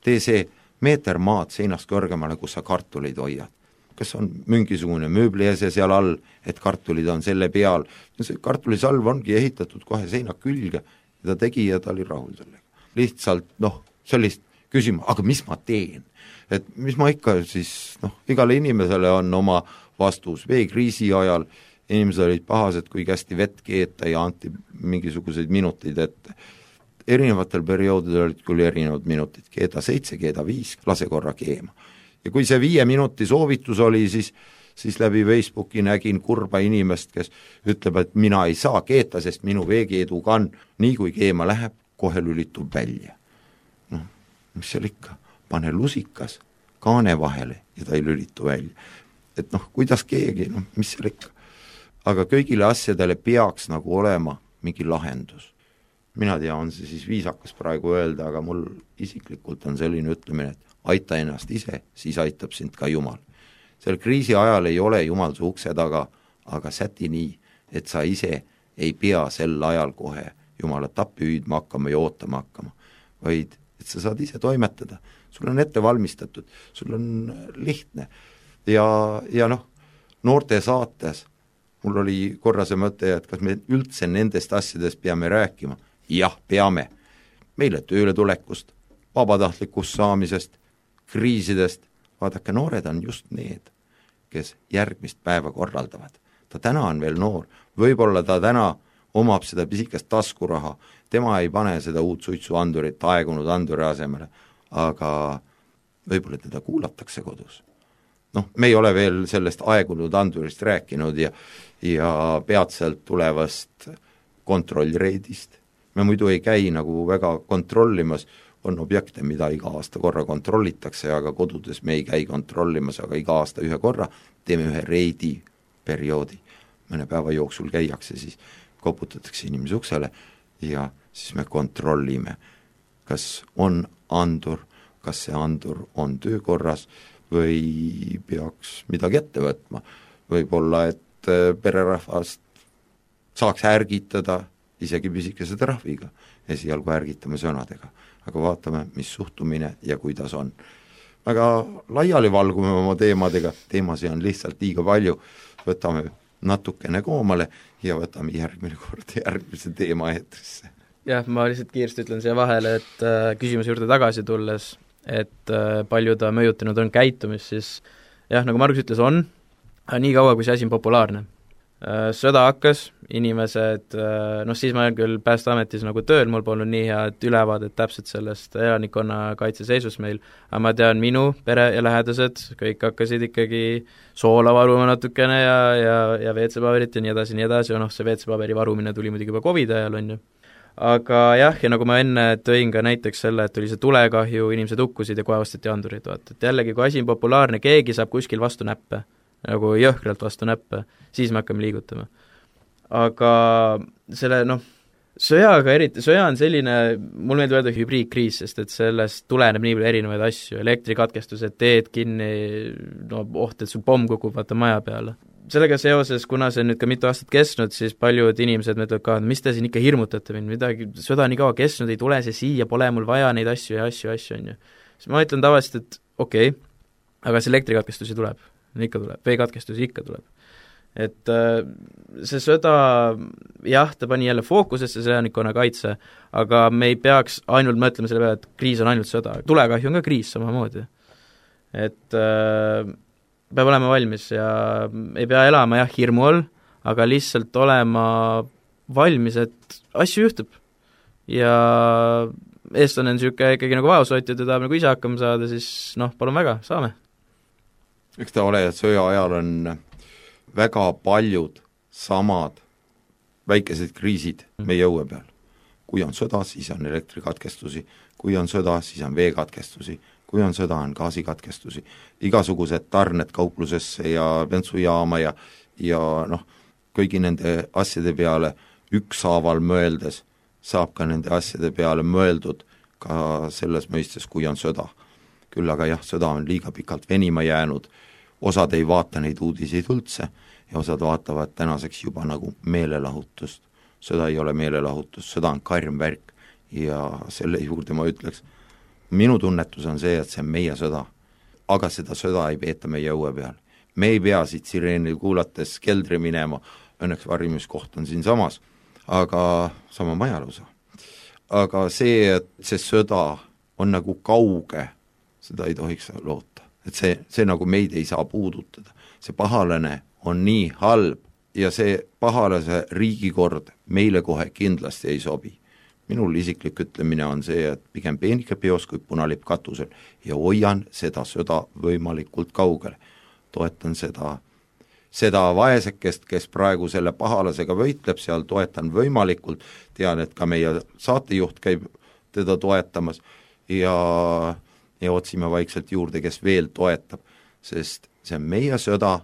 Tee see meeter maad seinast kõrgemale, kus sa kartulid hoiad. Kas on mingisugune mööbliese seal all, et kartulid on selle peal. See kartulisalv ongi ehitatud kohe seina külge ja ta tegi ja ta oli rahul sellega. Lihtsalt, noh, sellist küsima, aga mis ma teen? Et mis ma ikka siis, noh, igale inimesele on oma vastus veekriisi ajal. Inimesed olid pahased, kui kästi vett keeta ja anti mingisuguseid minuteid ette. Erinevatel perioodidel olid küll erinevad minutid, keeda seitse, keeda viis, lase korra keema. Ja kui see viie minuti soovitus oli, siis, siis läbi Facebooki nägin kurba inimest, kes ütleb, et mina ei saa keeta, sest minu veekeedu kann, nii kui keema läheb, kohe lülitub välja. Noh, mis seal ikka, pane lusikas kaane vahele ja ta ei lülitu välja. Et noh, kuidas keegi, noh, mis seal ikka. aga kõigile asjadele peaks nagu olema mingi lahendus. Mina tea, on see siis viisakas praegu öelda, aga mul isiklikult on selline ütlemine, et aita ennast ise, siis aitab sind ka Jumal. Sel kriisi ajal ei ole Jumal su ukse taga, aga säti nii, et sa ise ei pea sel ajal kohe Jumalat appi hüüdma hakkama ja ootama hakkama, vaid et sa saad ise toimetada. Sul on ette valmistatud, sul on lihtne. Ja, ja noh, noorte saates mul oli korra see mõte, et kas me üldse nendest asjadest peame rääkima. Jah, peame. Meile tööle tulekust, vabatahtlikust saamisest, kriisidest. Vaadake, noored on just need, kes järgmist päeva korraldavad. Ta täna on veel noor, võib-olla ta täna omab seda pisikest taskuraha, tema ei pane seda uut suitsuandurit aegunud anduri asemele, aga võib-olla teda kuulatakse kodus. Noh, me ei ole veel sellest aegunud andurist rääkinud ja, ja peatselt tulevast kontrollreidist. Me muidu ei käi nagu väga kontrollimas, on objekte, mida iga aasta korra kontrollitakse, aga kodudes me ei käi kontrollimas, aga iga aasta ühe korra teeme ühe reidi perioodi. Mõne päeva jooksul käiakse, siis koputatakse inimese uksele ja siis me kontrollime, kas on andur, kas see andur on töökorras või peaks midagi ette võtma. Võib-olla, et pererahvast saaks ärgitada isegi pisikese trahviga, esialgu ärgitame sõnadega, aga vaatame, mis suhtumine ja kuidas on. Väga laiali valgume oma teemadega, teemasi on lihtsalt liiga palju, võtame natukene koomale ja võtame järgmine kord järgmise teema eetrisse. Jah, ma lihtsalt kiiresti ütlen siia vahele, et äh, küsimuse juurde tagasi tulles, et äh, palju ta mõjutanud on käitumist, siis jah, nagu Margus ütles, on, nii kaua, kui see asi on populaarne. Äh, sõda hakkas, inimesed, äh, noh siis ma olen küll Päästeametis nagu tööl, mul polnud nii head ülevaadet täpselt sellest elanikkonna kaitseseisus meil, aga ma tean, minu pere ja lähedased, kõik hakkasid ikkagi soola varuma natukene ja, ja, ja V C-paberit ja nii edasi, nii edasi, ja noh, see V C-paberi varumine tuli muidugi juba COVID ajal, on ju. Aga jah, ja nagu ma enne tõin ka näiteks selle, et tuli see tulekahju, inimesed hukkusid ja kohe osteti andurid, vaata, et jällegi, kui asi on populaarne, keegi saab kuskil vastu näppe, nagu jõhkralt vastu näppe, siis me hakkame liigutama. Aga selle, noh, sõjaga eriti, sõja on selline, mul meeldib öelda hübriidkriis, sest et sellest tuleneb nii palju erinevaid asju, elektrikatkestused, teed kinni, no oht, et sul pomm kukub, vaata maja peale. Sellega seoses, kuna see nüüd ka mitu aastat kestnud, siis paljud inimesed mõtlevad ka, mis te siin ikka hirmutate mind, midagi, sõda nii kaua kestnud, ei tule see siia, pole mul vaja neid asju ja asju, asju, on ju. Siis ma ütlen tavaliselt, et okei, okay, aga see elektrikatkestusi tuleb, ikka tuleb, veekatkestusi ikka tuleb. Et see sõda, jah, ta pani jälle fookusesse see elanikkonna kaitse, aga me ei peaks ainult mõtlema selle peale, et kriis on ainult sõda, tulekahju on ka kriis samamoodi. Et peab olema valmis ja ei pea elama jah hirmu all, aga lihtsalt olema valmis, et asju juhtub. Ja eestlane on niisugune ikkagi nagu vaoshoitjad ja tahab nagu ise hakkama saada, siis noh, palun väga, saame. Eks ta ole, et sõja ajal on väga paljud samad väikesed kriisid meie õue peal. Kui on sõda, siis on elektrikatkestusi, kui on sõda, siis on veekatkestusi, kui on sõda, on gaasikatkestusi, igasugused tarned kauplusesse ja bentsujaama ja, ja noh, kõigi nende asjade peale ükshaaval mõeldes saab ka nende asjade peale mõeldud ka selles mõistes, kui on sõda. Küll aga jah, sõda on liiga pikalt venima jäänud, osad ei vaata neid uudiseid üldse ja osad vaatavad tänaseks juba nagu meelelahutust. Sõda ei ole meelelahutus, sõda on karm värk ja selle juurde ma ütleks, minu tunnetus on see, et see on meie sõda, aga seda sõda ei peeta meie õue peal. Me ei pea siit sireenil kuulates keldri minema, õnneks varjumiskoht on siin samas, aga sama majalusa. Aga see, et see sõda on nagu kauge, seda ei tohiks loota. Et see, see nagu meid ei saa puudutada. See pahalane on nii halb ja see pahalase riigikord meile kohe kindlasti ei sobi. Minul isiklik ütlemine on see, et pigem peenike peos kui punalipp katusel ja hoian seda sõda võimalikult kaugele. Toetan seda, seda vaesekest, kes praegu selle pahalasega võitleb seal, toetan võimalikult, tean, et ka meie saatejuht käib teda toetamas ja, ja otsime vaikselt juurde, kes veel toetab, sest see on meie sõda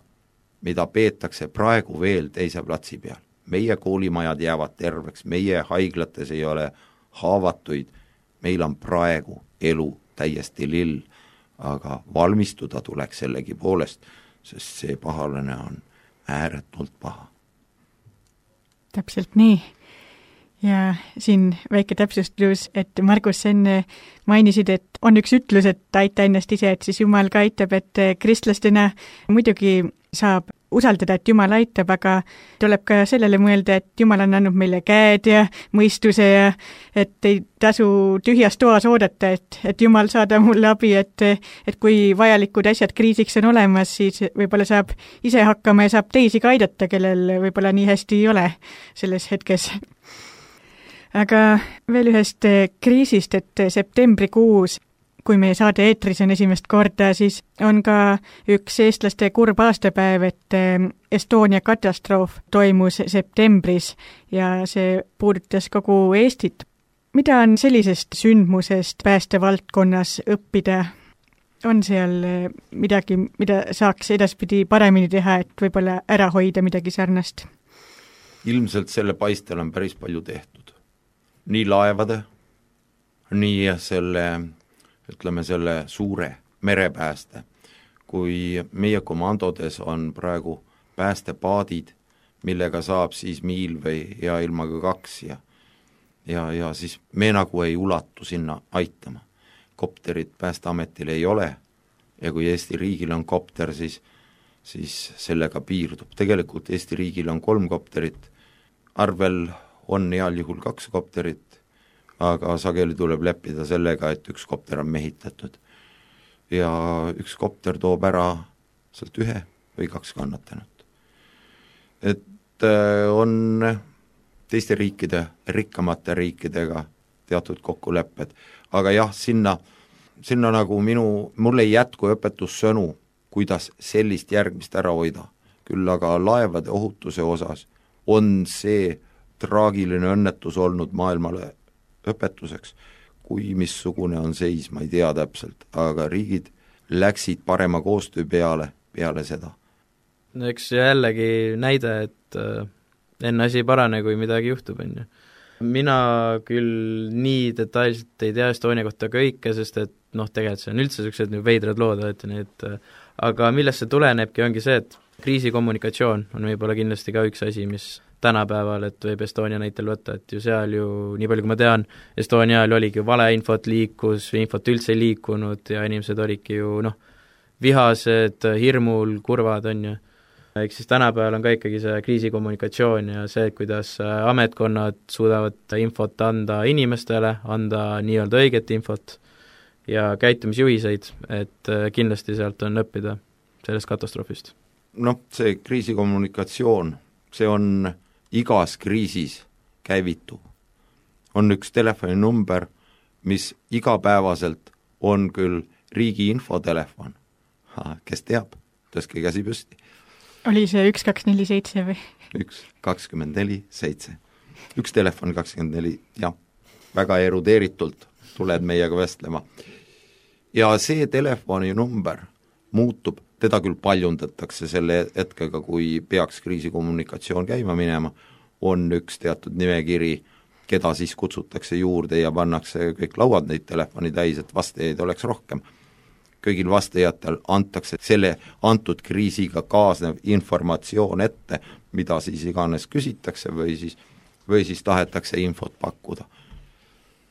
mida peetakse praegu veel teise platsi peal. Meie koolimajad jäävad terveks, meie haiglates ei ole haavatuid, meil on praegu elu täiesti lill, aga valmistuda tuleks sellegi poolest, sest see pahalane on ääretult paha. Täpselt nii. Ja siin väike täpsustus, et Margus enne mainisid, et on üks ütlus, et aita ennast ise, et siis Jumal ka aitab, et kristlastena muidugi saab usaldada, et Jumal aitab, aga tuleb ka sellele mõelda, et Jumal on andnud meile käed ja mõistuse ja et ei tasu tühjas toas oodata, et, et Jumal saada mulle abi, et, et kui vajalikud asjad kriisiks on olemas, siis võib-olla saab ise hakkama ja saab teisi ka aidata, kellel võib-olla nii hästi ei ole selles hetkes. Aga veel ühest kriisist, et septembrikuus, kui meie saade eetris on esimest korda, siis on ka üks eestlaste kurb aastapäev, et Estonia katastroof toimus septembris ja see puudutas kogu Eestit. Mida on sellisest sündmusest päästevaldkonnas õppida? On seal midagi, mida saaks edaspidi paremini teha, et võib-olla ära hoida midagi sarnast? Ilmselt selle paistel on päris palju tehtud. Nii laevade, nii selle, ütleme selle suure merepääste, kui meie komandodes on praegu päästepaadid, millega saab siis miil või hea ilmaga kaks ja, ja, ja siis me nagu ei ulatu sinna aitama. Kopterit Päästeametil ei ole ja kui Eesti riigil on kopter, siis, siis sellega piirdub. Tegelikult Eesti riigil on kolm kopterit, arvel on heal juhul kaks kopterit, aga sageli tuleb leppida sellega, et üks kopter on mehitatud. Ja üks kopter toob ära sealt ühe või kaks kannatanud. Et on teiste riikide, rikkamate riikidega teatud kokkulepped, aga jah, sinna, sinna nagu minu, mul ei jätku õpetussõnu, kuidas sellist järgmist ära hoida. Küll aga laevade ohutuse osas on see traagiline õnnetus olnud maailmale õpetuseks, kui missugune on seis, ma ei tea täpselt, aga riigid läksid parema koostöö peale, peale seda. Eks jällegi näide, et enne asi ei parane, kui midagi juhtub, on ju. Mina küll nii detailselt ei tea Estonia kohta kõike, sest et noh, tegelikult see on üldse sellised veidrad lood, et need, aga millest see tulenebki, ongi see, et kriisikommunikatsioon on võib-olla kindlasti ka üks asi, mis tänapäeval, et võib Estonia näitel võtta, et ju seal ju, nii palju kui ma tean, Estonia ajal oligi valeinfot liikus, infot üldse ei liikunud ja inimesed olidki ju noh, vihased, hirmul, kurvad, on ju. Ehk siis tänapäeval on ka ikkagi see kriisikommunikatsioon ja see, kuidas ametkonnad suudavad infot anda inimestele, anda nii-öelda õiget infot ja käitumisjuhiseid, et kindlasti sealt on õppida sellest katastroofist. Noh, see kriisikommunikatsioon, see on igas kriisis käivitub. On üks telefoninumber, mis igapäevaselt on küll riigi infotelefon. Ha, kes teab, tõstke käsi püsti. Oli see üks kaks neli seitse või? üks kakskümmend neli seitse. Üks telefon kakskümmend neli, jah, väga erudeeritult tuled meiega vestlema. Ja see telefoninumber muutub, teda küll paljundatakse selle hetkega, kui peaks kriisikommunikatsioon käima minema, on üks teatud nimekiri, keda siis kutsutakse juurde ja pannakse kõik lauad neid telefoni täis, et vastajaid oleks rohkem. Kõigil vastajatel antakse selle antud kriisiga kaasnev informatsioon ette, mida siis iganes küsitakse või siis, või siis tahetakse infot pakkuda.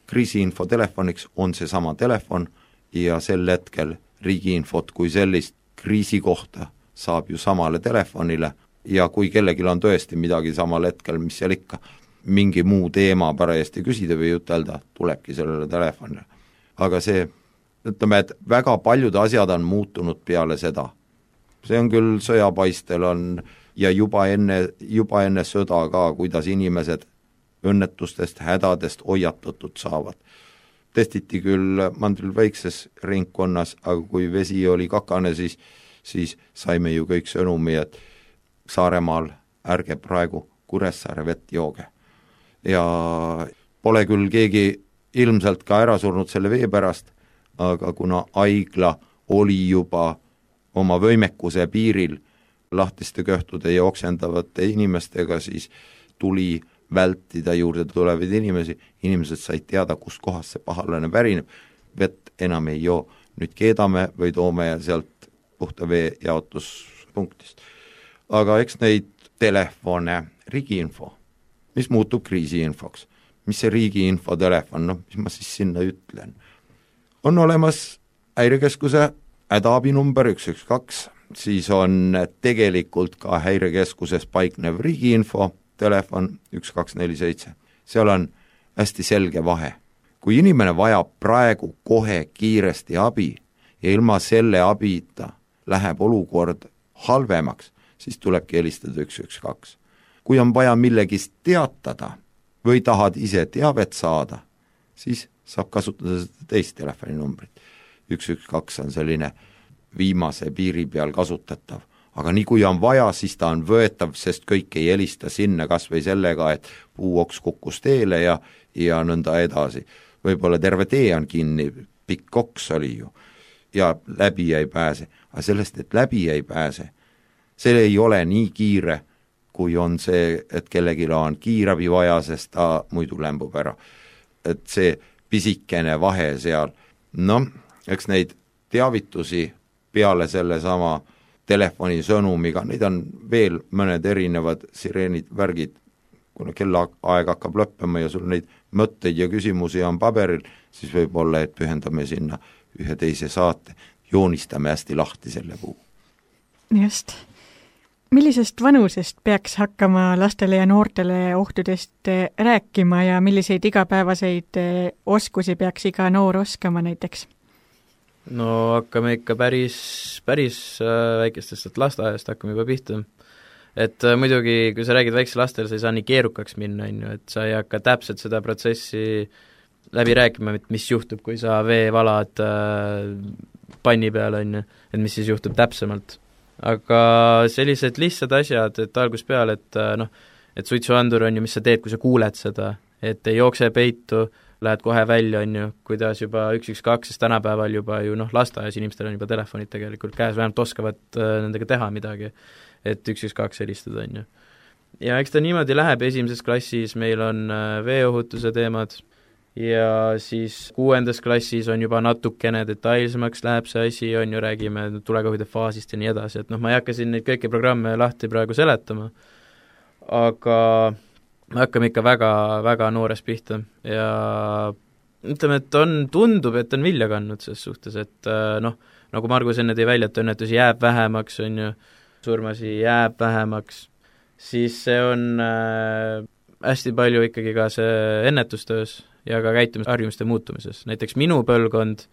Kriisiinfo telefoniks on see sama telefon ja sel hetkel riigiinfot kui sellist kriisi kohta saab ju samale telefonile ja kui kellelgi on tõesti midagi samal hetkel, mis seal ikka, mingi muu teema parajasti küsida või ütelda, tulebki sellele telefonile. Aga see, ütleme, et väga paljud asjad on muutunud peale seda. See on küll sõjapaistel on ja juba enne, juba enne sõda ka, kuidas inimesed õnnetustest, hädadest hoiatatud saavad. Testiti küll mandril väikses ringkonnas, aga kui vesi oli kakane, siis, siis saime ju kõik sõnumi, et Saaremaal ärge praegu Kuressaare vett jooge. Ja pole küll keegi ilmselt ka ära surnud selle vee pärast, aga kuna haigla oli juba oma võimekuse piiril, lahtiste kõhtude ja oksendavate inimestega, siis tuli vältida juurde tulevaid inimesi, inimesed said teada, kust kohast see pahalane pärineb, vett enam ei joo, nüüd keedame või toome sealt puhta vee jaotuspunktist. Aga eks neid telefone, riigiinfo, mis muutub kriisiinfoks, mis see riigiinfo telefon, noh, mis ma siis sinna ütlen, on olemas häirekeskuse hädaabinumber üks üks kaks, siis on tegelikult ka häirekeskuses paiknev riigiinfo telefon üks kaks neli seitse. Seal on hästi selge vahe. Kui inimene vajab praegu kohe kiiresti abi ja ilma selle abita läheb olukord halvemaks, siis tulebki helistada üks üks kaks. Kui on vaja millegist teatada või tahad ise teavet saada, siis saab kasutada seda teist telefoninumbrit. üks üks kaks on selline viimase piiri peal kasutatav, aga nii kui on vaja, siis ta on võetav, sest kõik ei helista sinna kas või sellega, et puuoks kukkus teele ja, ja nõnda edasi. Võib-olla terve tee on kinni, pikk oks oli ju, ja läbi ei pääse. Aga sellest, et läbi ei pääse, see ei ole nii kiire, kui on see, et kellegile on kiirabi vaja, sest ta muidu lämbub ära. Et see pisikene vahe seal, noh, eks neid teavitusi peale selle sama telefonisõnumiga, neid on veel mõned erinevad sireenid, värgid, kuna kellaaeg hakkab lõppema ja sul neid mõtteid ja küsimusi on paberil, siis võib olla, et pühendame sinna ühe teise saate, joonistame hästi lahti selle puu. Just. Millisest vanusest peaks hakkama lastele ja noortele ohtudest rääkima ja milliseid igapäevaseid oskusi peaks iga noor oskama näiteks? No hakkame ikka päris, päris väikestest, et lasteaiast hakkame juba pihta. Et muidugi, kui sa räägid väikse lastele, sa ei saa nii keerukaks minna, on ju, et sa ei hakka täpselt seda protsessi läbi rääkima, mis juhtub, kui sa vee valad panni peale, on ju, et mis siis juhtub täpsemalt. Aga sellised lihtsad asjad, et algus peale, et noh, et suitsuandur on ju, mis sa teed, kui sa kuuled seda, et ei jookse peitu, lähed kohe välja, on ju, kuidas juba üks üks kaks, sest tänapäeval juba ju noh, lasteaias inimestel on juba telefonid tegelikult käes, vähemalt oskavad nendega teha midagi, et üks üks kaks helistada, on ju. Ja eks ta niimoodi läheb, esimeses klassis meil on veeohutuse teemad ja siis kuuendas klassis on juba natukene detailsemaks läheb see asi, on ju, räägime tulekahjude faasist ja nii edasi, et noh, ma ei hakka siin neid kõiki programme lahti praegu seletama, aga me hakkame ikka väga, väga noores pihta ja ütleme, et on, tundub, et on vilja kandnud selles suhtes, et noh, nagu Margus enne tõi välja, et õnnetusi jääb vähemaks, on ju, surmasi jääb vähemaks, siis see on äh, hästi palju ikkagi ka see ennetustöös ja ka käitumisharjumuste muutumises. Näiteks minu põlvkond,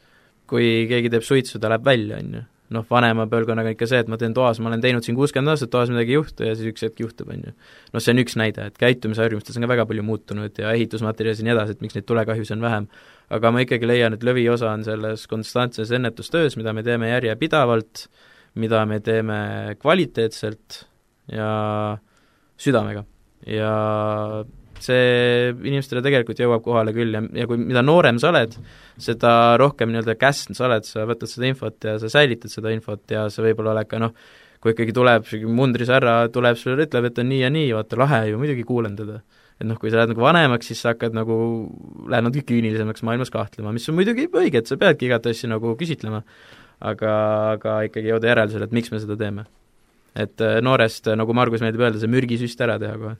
kui keegi teeb suitsu, ta läheb välja, on ju. Noh, vanema põlvkonnaga ikka see, et ma teen toas, ma olen teinud siin kuuskümmend aastat, toas midagi ei juhtu ja siis üks hetk juhtub, on ju. Noh, see on üks näide, et käitumisharjumustes on ka väga palju muutunud ja ehitusmaterjalis ja nii edasi, et miks neid tulekahjusid on vähem. Aga ma ikkagi leian, et lõviosa on selles konstantses ennetustöös, mida me teeme järjepidavalt, mida me teeme kvaliteetselt ja südamega. Ja see inimestele tegelikult jõuab kohale küll ja, ja kui mida noorem sa oled, seda rohkem nii-öelda käsn sa oled, sa võtad seda infot ja sa säilitad seda infot ja sa võib-olla oled ka noh, kui ikkagi tuleb mundrisärra, tuleb sulle ütleb, et on nii ja nii, vaata lahe ju, muidugi kuulen teda. Et noh, kui sa lähed nagu vanemaks, siis sa hakkad nagu, lähed nagu küünilisemaks maailmas kahtlema, mis on muidugi õige, et sa peadki igat asja nagu küsitlema, aga, aga ikkagi jõuda järeldusele, et miks me seda teeme. Et noorest, nagu Margus meeldib öelda, see mürgisüst ära teha kohe.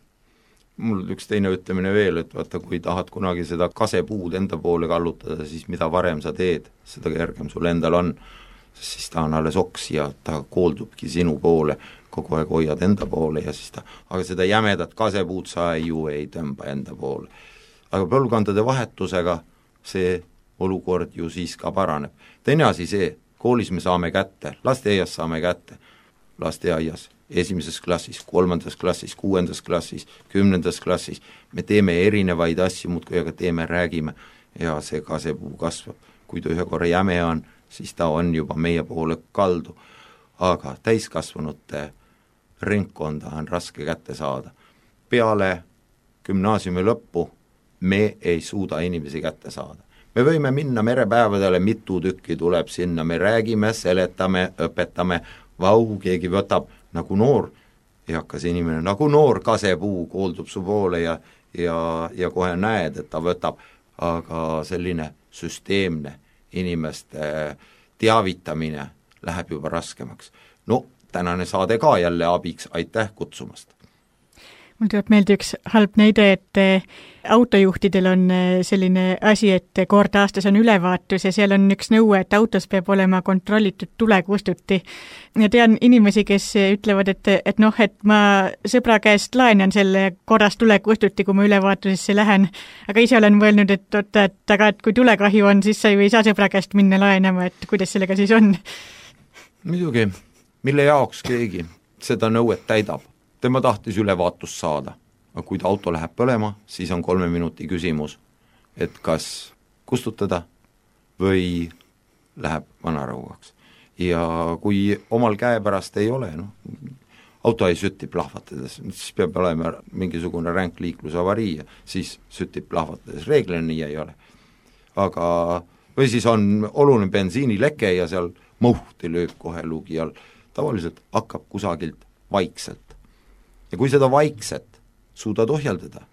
Mul üks teine ütlemine veel, et vaata, kui tahad kunagi seda kasepuud enda poole kallutada, siis mida varem sa teed, seda kergem sul endal on, sest siis ta on alles oks ja ta kooldubki sinu poole, kogu aeg hoiad enda poole ja siis ta, aga seda jämedat kasepuud sa ju ei tõmba enda poole. Aga põlvkondade vahetusega see olukord ju siis ka paraneb. Teine asi see, koolis me saame kätte, lasteaias saame kätte, lasteaias esimeses klassis, kolmandas klassis, kuuendas klassis, kümnendas klassis, me teeme erinevaid asju, muudkui aga teeme, räägime ja see kasepuu kasvab. Kui ta ühe korra jäme on, siis ta on juba meie poole kaldu. Aga täiskasvanute ringkonda on raske kätte saada. Peale gümnaasiumi lõppu me ei suuda inimesi kätte saada. Me võime minna merepäevadele, mitu tükki tuleb sinna, me räägime, seletame, õpetame, vau, keegi võtab nagu noor eakas inimene, nagu noor kasepuu kooldub su poole ja, ja, ja kohe näed, et ta võtab, aga selline süsteemne inimeste teavitamine läheb juba raskemaks. No tänane saade ka jälle abiks, aitäh kutsumast! Mul tuleb meelde üks halb näide, et autojuhtidel on selline asi, et kord aastas on ülevaatus ja seal on üks nõue, et autos peab olema kontrollitud tulekustuti. Ja tean inimesi, kes ütlevad, et, et noh, et ma sõbra käest laenan selle korras tulekustuti, kui ma ülevaatusesse lähen. Aga ise olen mõelnud, et, oota, et, aga, et kui tulekahju on, siis sa ju ei saa sõbra käest minna laenama, et kuidas sellega siis on? Muidugi, mille jaoks keegi seda nõuet täidab. Tema tahtis ülevaatust saada, aga kui ta auto läheb põlema, siis on kolme minuti küsimus, et kas kustutada või läheb vanarauaks. Ja kui omal käepärast ei ole, noh, auto ei sütti plahvatades, siis peab olema mingisugune ränk liiklusavarii ja siis süttib plahvatades, reeglina nii ei ole. Aga, või siis on oluline bensiinileke ja seal mõhti lööb kohe luugi all, tavaliselt hakkab kusagilt vaikselt. Ja kui seda vaikset suudad ohjeldada,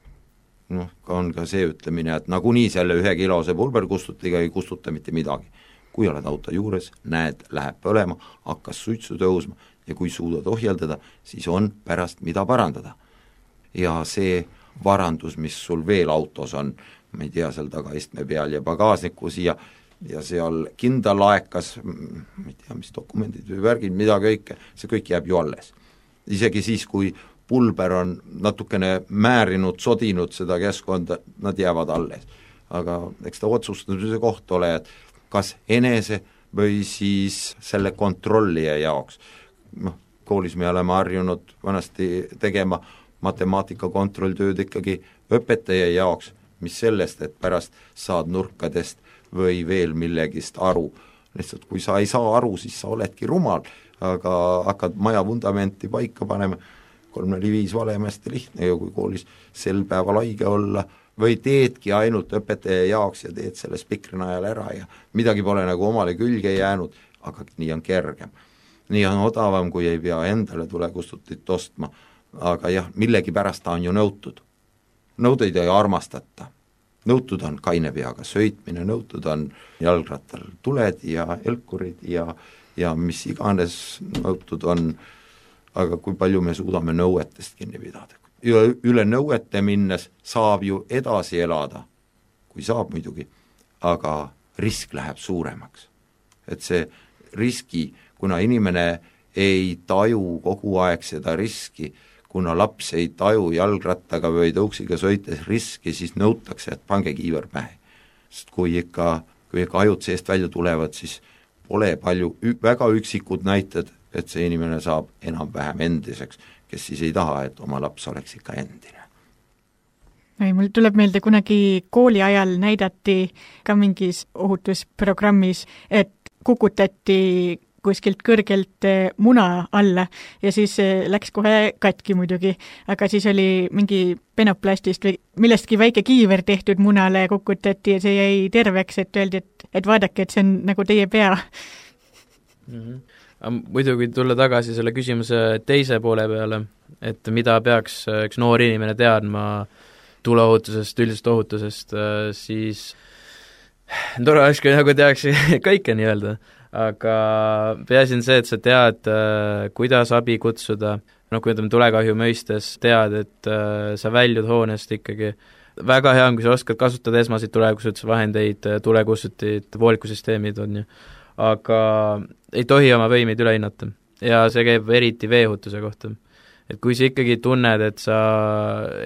noh, on ka see ütlemine, et nagunii selle ühe kilose pulberkustutiga ei kustuta mitte midagi. Kui oled auto juures, näed, läheb põlema, hakkas suitsu tõusma ja kui suudad ohjeldada, siis on pärast mida parandada. Ja see varandus, mis sul veel autos on, ma ei tea, seal tagaistme peal ja pagaasnikus ja, ja seal kindalaekas, ma ei tea, mis dokumendid või värgid, mida kõike, see kõik jääb ju alles. Isegi siis, kui pulber on natukene määrinud, sodinud seda keskkonda, nad jäävad alles. Aga eks ta otsustamise koht ole, et kas enese või siis selle kontrollija jaoks. No, koolis me oleme harjunud vanasti tegema matemaatika kontrolltööd ikkagi õpetaja jaoks, mis sellest, et pärast saad nurkadest või veel millegist aru. Lihtsalt kui sa ei saa aru, siis sa oledki rumal, aga hakkad maja vundamenti paika panema, kolm neli viis valemasti lihtne ja kui koolis sel päeval haige olla või teedki ainult õpetaja jaoks ja teed selle spikri najal ära ja midagi pole nagu omale külge jäänud, aga nii on kergem. Nii on odavam, kui ei pea endale tulekustutit ostma, aga jah, millegi pärast ta on ju nõutud. Nõudeid ei armastata. Nõutud on kaine peaga sõitmine, nõutud on jalgrattal tuled ja elkurid ja, ja mis iganes nõutud on, aga kui palju me suudame nõuetest kinni pidada. Üle nõuete minnes saab ju edasi elada, kui saab muidugi, aga risk läheb suuremaks. Et see riski, kuna inimene ei taju kogu aeg seda riski, kuna laps ei taju jalgrattaga või tõuksiga sõites riski, siis nõutakse, et pange kiiver pähe. Sest kui ikka, kui ikka ajud seest välja tulevad, siis pole palju, väga üksikud näited, et see inimene saab enam-vähem endiseks, kes siis ei taha, et oma laps oleks ikka endine. Mul tuleb meelde kunagi kooli ajal näidati ka mingis ohutusprogrammis, et kukutati kuskilt kõrgelt muna alla ja siis läks kohe katki muidugi, aga siis oli mingi penoplastist või millestki väike kiiver tehtud munale kukutati ja see jäi terveks, et öeldi, et, et vaadake, et see on nagu teie pea. Mm-hmm. Muidugi tulla tagasi selle küsimuse teise poole peale, et mida peaks üks noor inimene teadma tuleohutusest, üldisest ohutusest, siis tore oleks, kui nagu teaks kõike nii-öelda, aga peaasi on see, et sa tead, kuidas abi kutsuda, noh, kui ütleme tulekahju mõistes, tead, et sa väljud hoonest ikkagi. Väga hea on, kui sa oskad kasutada esmaseid tulekustutusvahendeid, tulekustutid, voolikusüsteemid on ju, aga ei tohi oma võimeid üle hinnata ja see käib eriti veeohutuse kohta. Et kui sa ikkagi tunned, et sa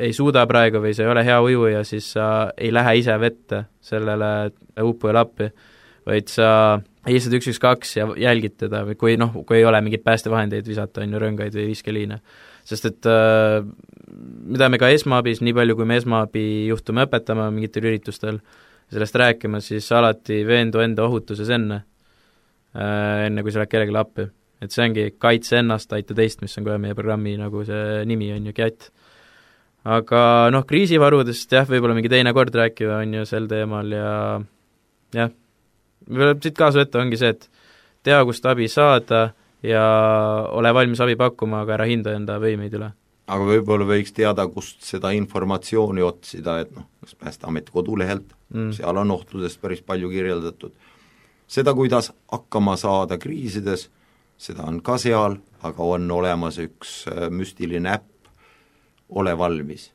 ei suuda praegu või sa ei ole hea ujuja, siis sa ei lähe ise vette sellele uppujale appi, vaid sa lihtsalt üks üks kaks ja jälgid teda või kui, noh, kui ei ole mingit päästevahendeid visata, on ju rõngaid või viskeliine. Sest et äh, mida me ka esmaabis, nii palju kui me esmaabi juhtume õpetama mingitel üritustel, sellest rääkima, siis alati veendu enda ohutuses enne, enne kui sa lähed kellelegi appi. Et see ongi kaitse ennast, aita teist, mis on kohe meie programmi nagu see nimi on ju G A T. Aga noh, kriisivarudest jah, võib-olla mingi teine kord rääkida on ju sel teemal ja jah, võib-olla siit kaasa võtta ongi see, et tea, kust abi saada ja ole valmis abi pakkuma, aga ära hinda enda võimeid üle. Aga võib-olla võiks teada, kust seda informatsiooni otsida, et noh, kas Päästeameti kodulehelt, mm. seal on ohtudest päris palju kirjeldatud. Seda, kuidas hakkama saada kriisides, seda on ka seal, aga on olemas üks müstiline äpp, ole valmis.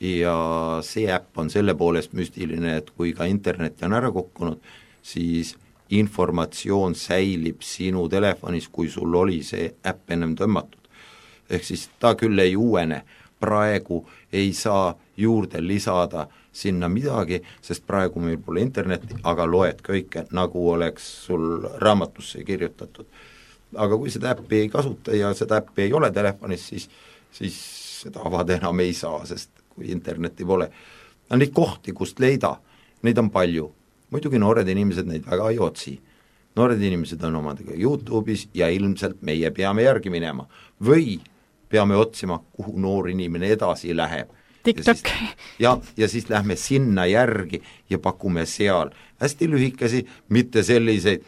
Ja see äpp on selle poolest müstiline, et kui ka internet on ära kukkunud, siis informatsioon säilib sinu telefonis, kui sul oli see äpp ennem tõmmatud. Ehk siis ta küll ei uuene, praegu ei saa juurde lisada sinna midagi, sest praegu meil pole internetti, aga loed kõike, nagu oleks sul raamatusse kirjutatud. Aga kui seda äppi ei kasuta ja seda äppi ei ole telefonis, siis, siis seda avada enam ei saa, sest kui internetti pole. Neid kohti, kust leida, neid on palju. Muidugi noored inimesed neid väga ei otsi. Noored inimesed on omadega YouTube'is ja ilmselt meie peame järgi minema. Või peame otsima, kuhu noor inimene edasi läheb. TikTok. Ja siis, ja, ja siis lähme sinna järgi ja pakume seal. Hästi lühikesi, mitte selliseid,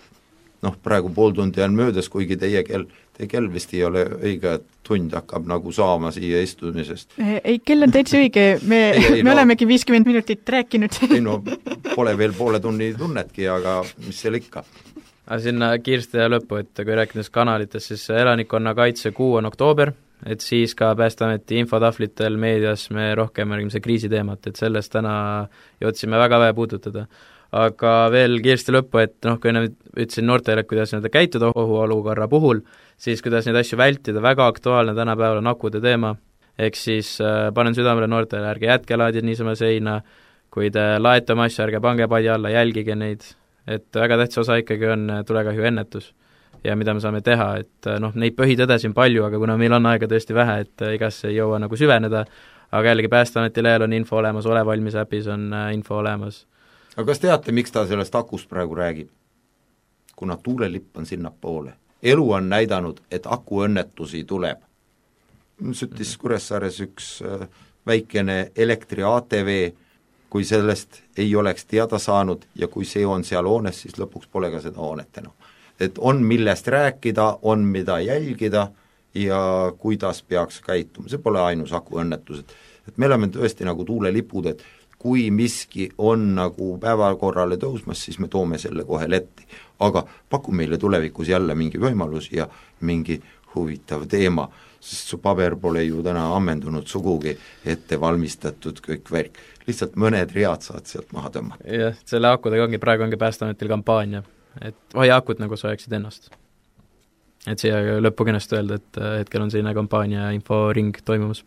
noh, praegu pool tundi on möödas, kuigi teie kell, teie kell vist ei ole õige, tund hakkab nagu saama siia istumisest. Ei, kell on täitsa õige, me, ei, ei, me no, olemegi viiskümmend minutit rääkinud. Ei no, pole veel poole tunni tunnetki, aga mis seal ikka. Aga sinna kiiresti ja lõppu, et kui rääkides kanalites, siis elanikkonna kaitse kuu on oktoober, et siis ka Päästeameti infotahvlitel meedias me rohkem räägime see kriisiteemat, et sellest täna jõudsime väga vähe puudutada. Aga veel kiiresti lõppu, et noh, kui enne ütlesin noortele, kuidas nad käituda ohuolukorra puhul, siis kuidas neid asju vältida, väga aktuaalne tänapäeval on akude teema, ehk siis äh, panen südamele noortele, ärge jätke laadid niisama seina, kui te laete oma asju, ärge pange padi alla, jälgige neid, et väga tähtsa osa ikkagi on tulekahju ennetus ja mida me saame teha, et noh, neid põhitõde siin palju, aga kuna meil on aega tõesti vähe, et igas ei jõua nagu süveneda, aga jällegi Päästeameti lehel on info olemas, ole valmis äpis on info olemas. Aga kas teate, miks ta sellest akust praegu räägib? Kuna tuulelipp on sinna poole. Elu on näidanud, et akuõnnetusi tuleb. Süttis Kuressaares üks väikene elektri A T V, kui sellest ei oleks teada saanud ja kui see on seal hoones, siis lõpuks pole ka seda hoonet enam. Et on millest rääkida, on mida jälgida ja kuidas peaks käituma. See pole ainus akuõnnetused. Et me oleme tõesti nagu tuulelipud, et kui miski on nagu päevakorrale tõusmas, siis me toome selle kohe letti. Aga paku meile tulevikus jälle mingi võimalus ja mingi huvitav teema, sest su paber pole ju täna ammendunud sugugi ette valmistatud kõik värk. Lihtsalt mõned read saad sealt maha tõmmata. Jah, selle akudega ongi, praegu ongi Päästeametil kampaania, et hoia akud nagu sa hoiaksid ennast. Et siia lõppu kenest öelda, et hetkel on selline kampaania ja inforing toimumas.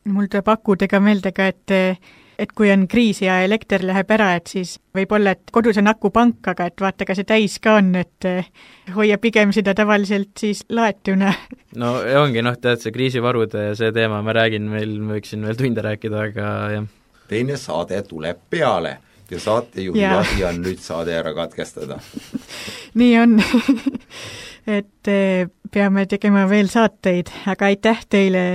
Mul tuleb akudega meelde ka, et et kui on kriis ja elekter läheb ära, et siis võib olla, et kodus on akupank, aga et vaata, ka see täis ka on, et hoia pigem seda tavaliselt siis laetuna. No ongi, noh, tead, see kriisivarude ja see teema, ma räägin, meil võiksin veel tunde rääkida, aga jah. Teine saade tuleb peale ja saatejuhi asi on nüüd saade ära katkestada. Nii on. Et peame tegema veel saateid, aga aitäh teile,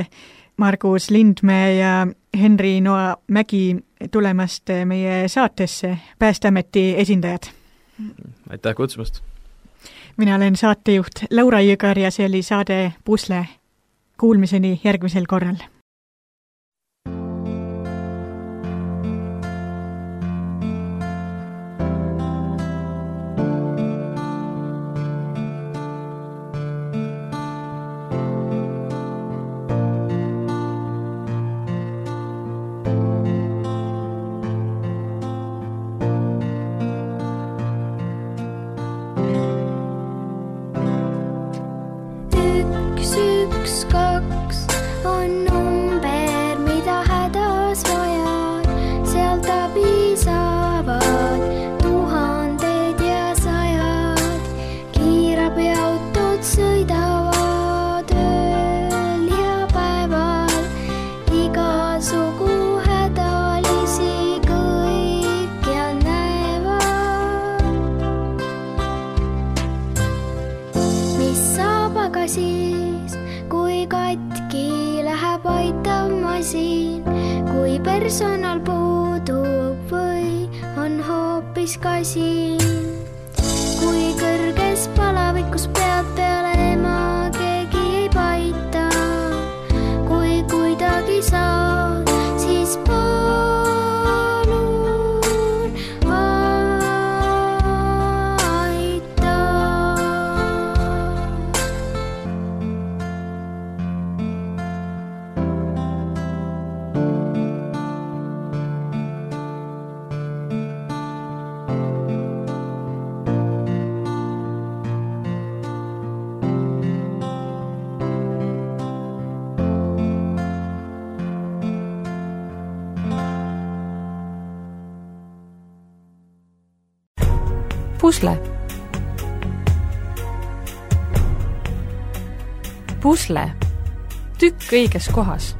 Margus Lindmäe ja Henri Noa Mägi tulemast meie saatesse, Päästeameti esindajad. Aitäh kutsumast. Mina olen saatejuht Laura Jõgar ja see oli saade Pusle. Kuulmiseni järgmisel korral. Personal puudub või on hoopis kasin, kui kõrges palavikus pead peale pusle. pusle. Tükk õiges kohas.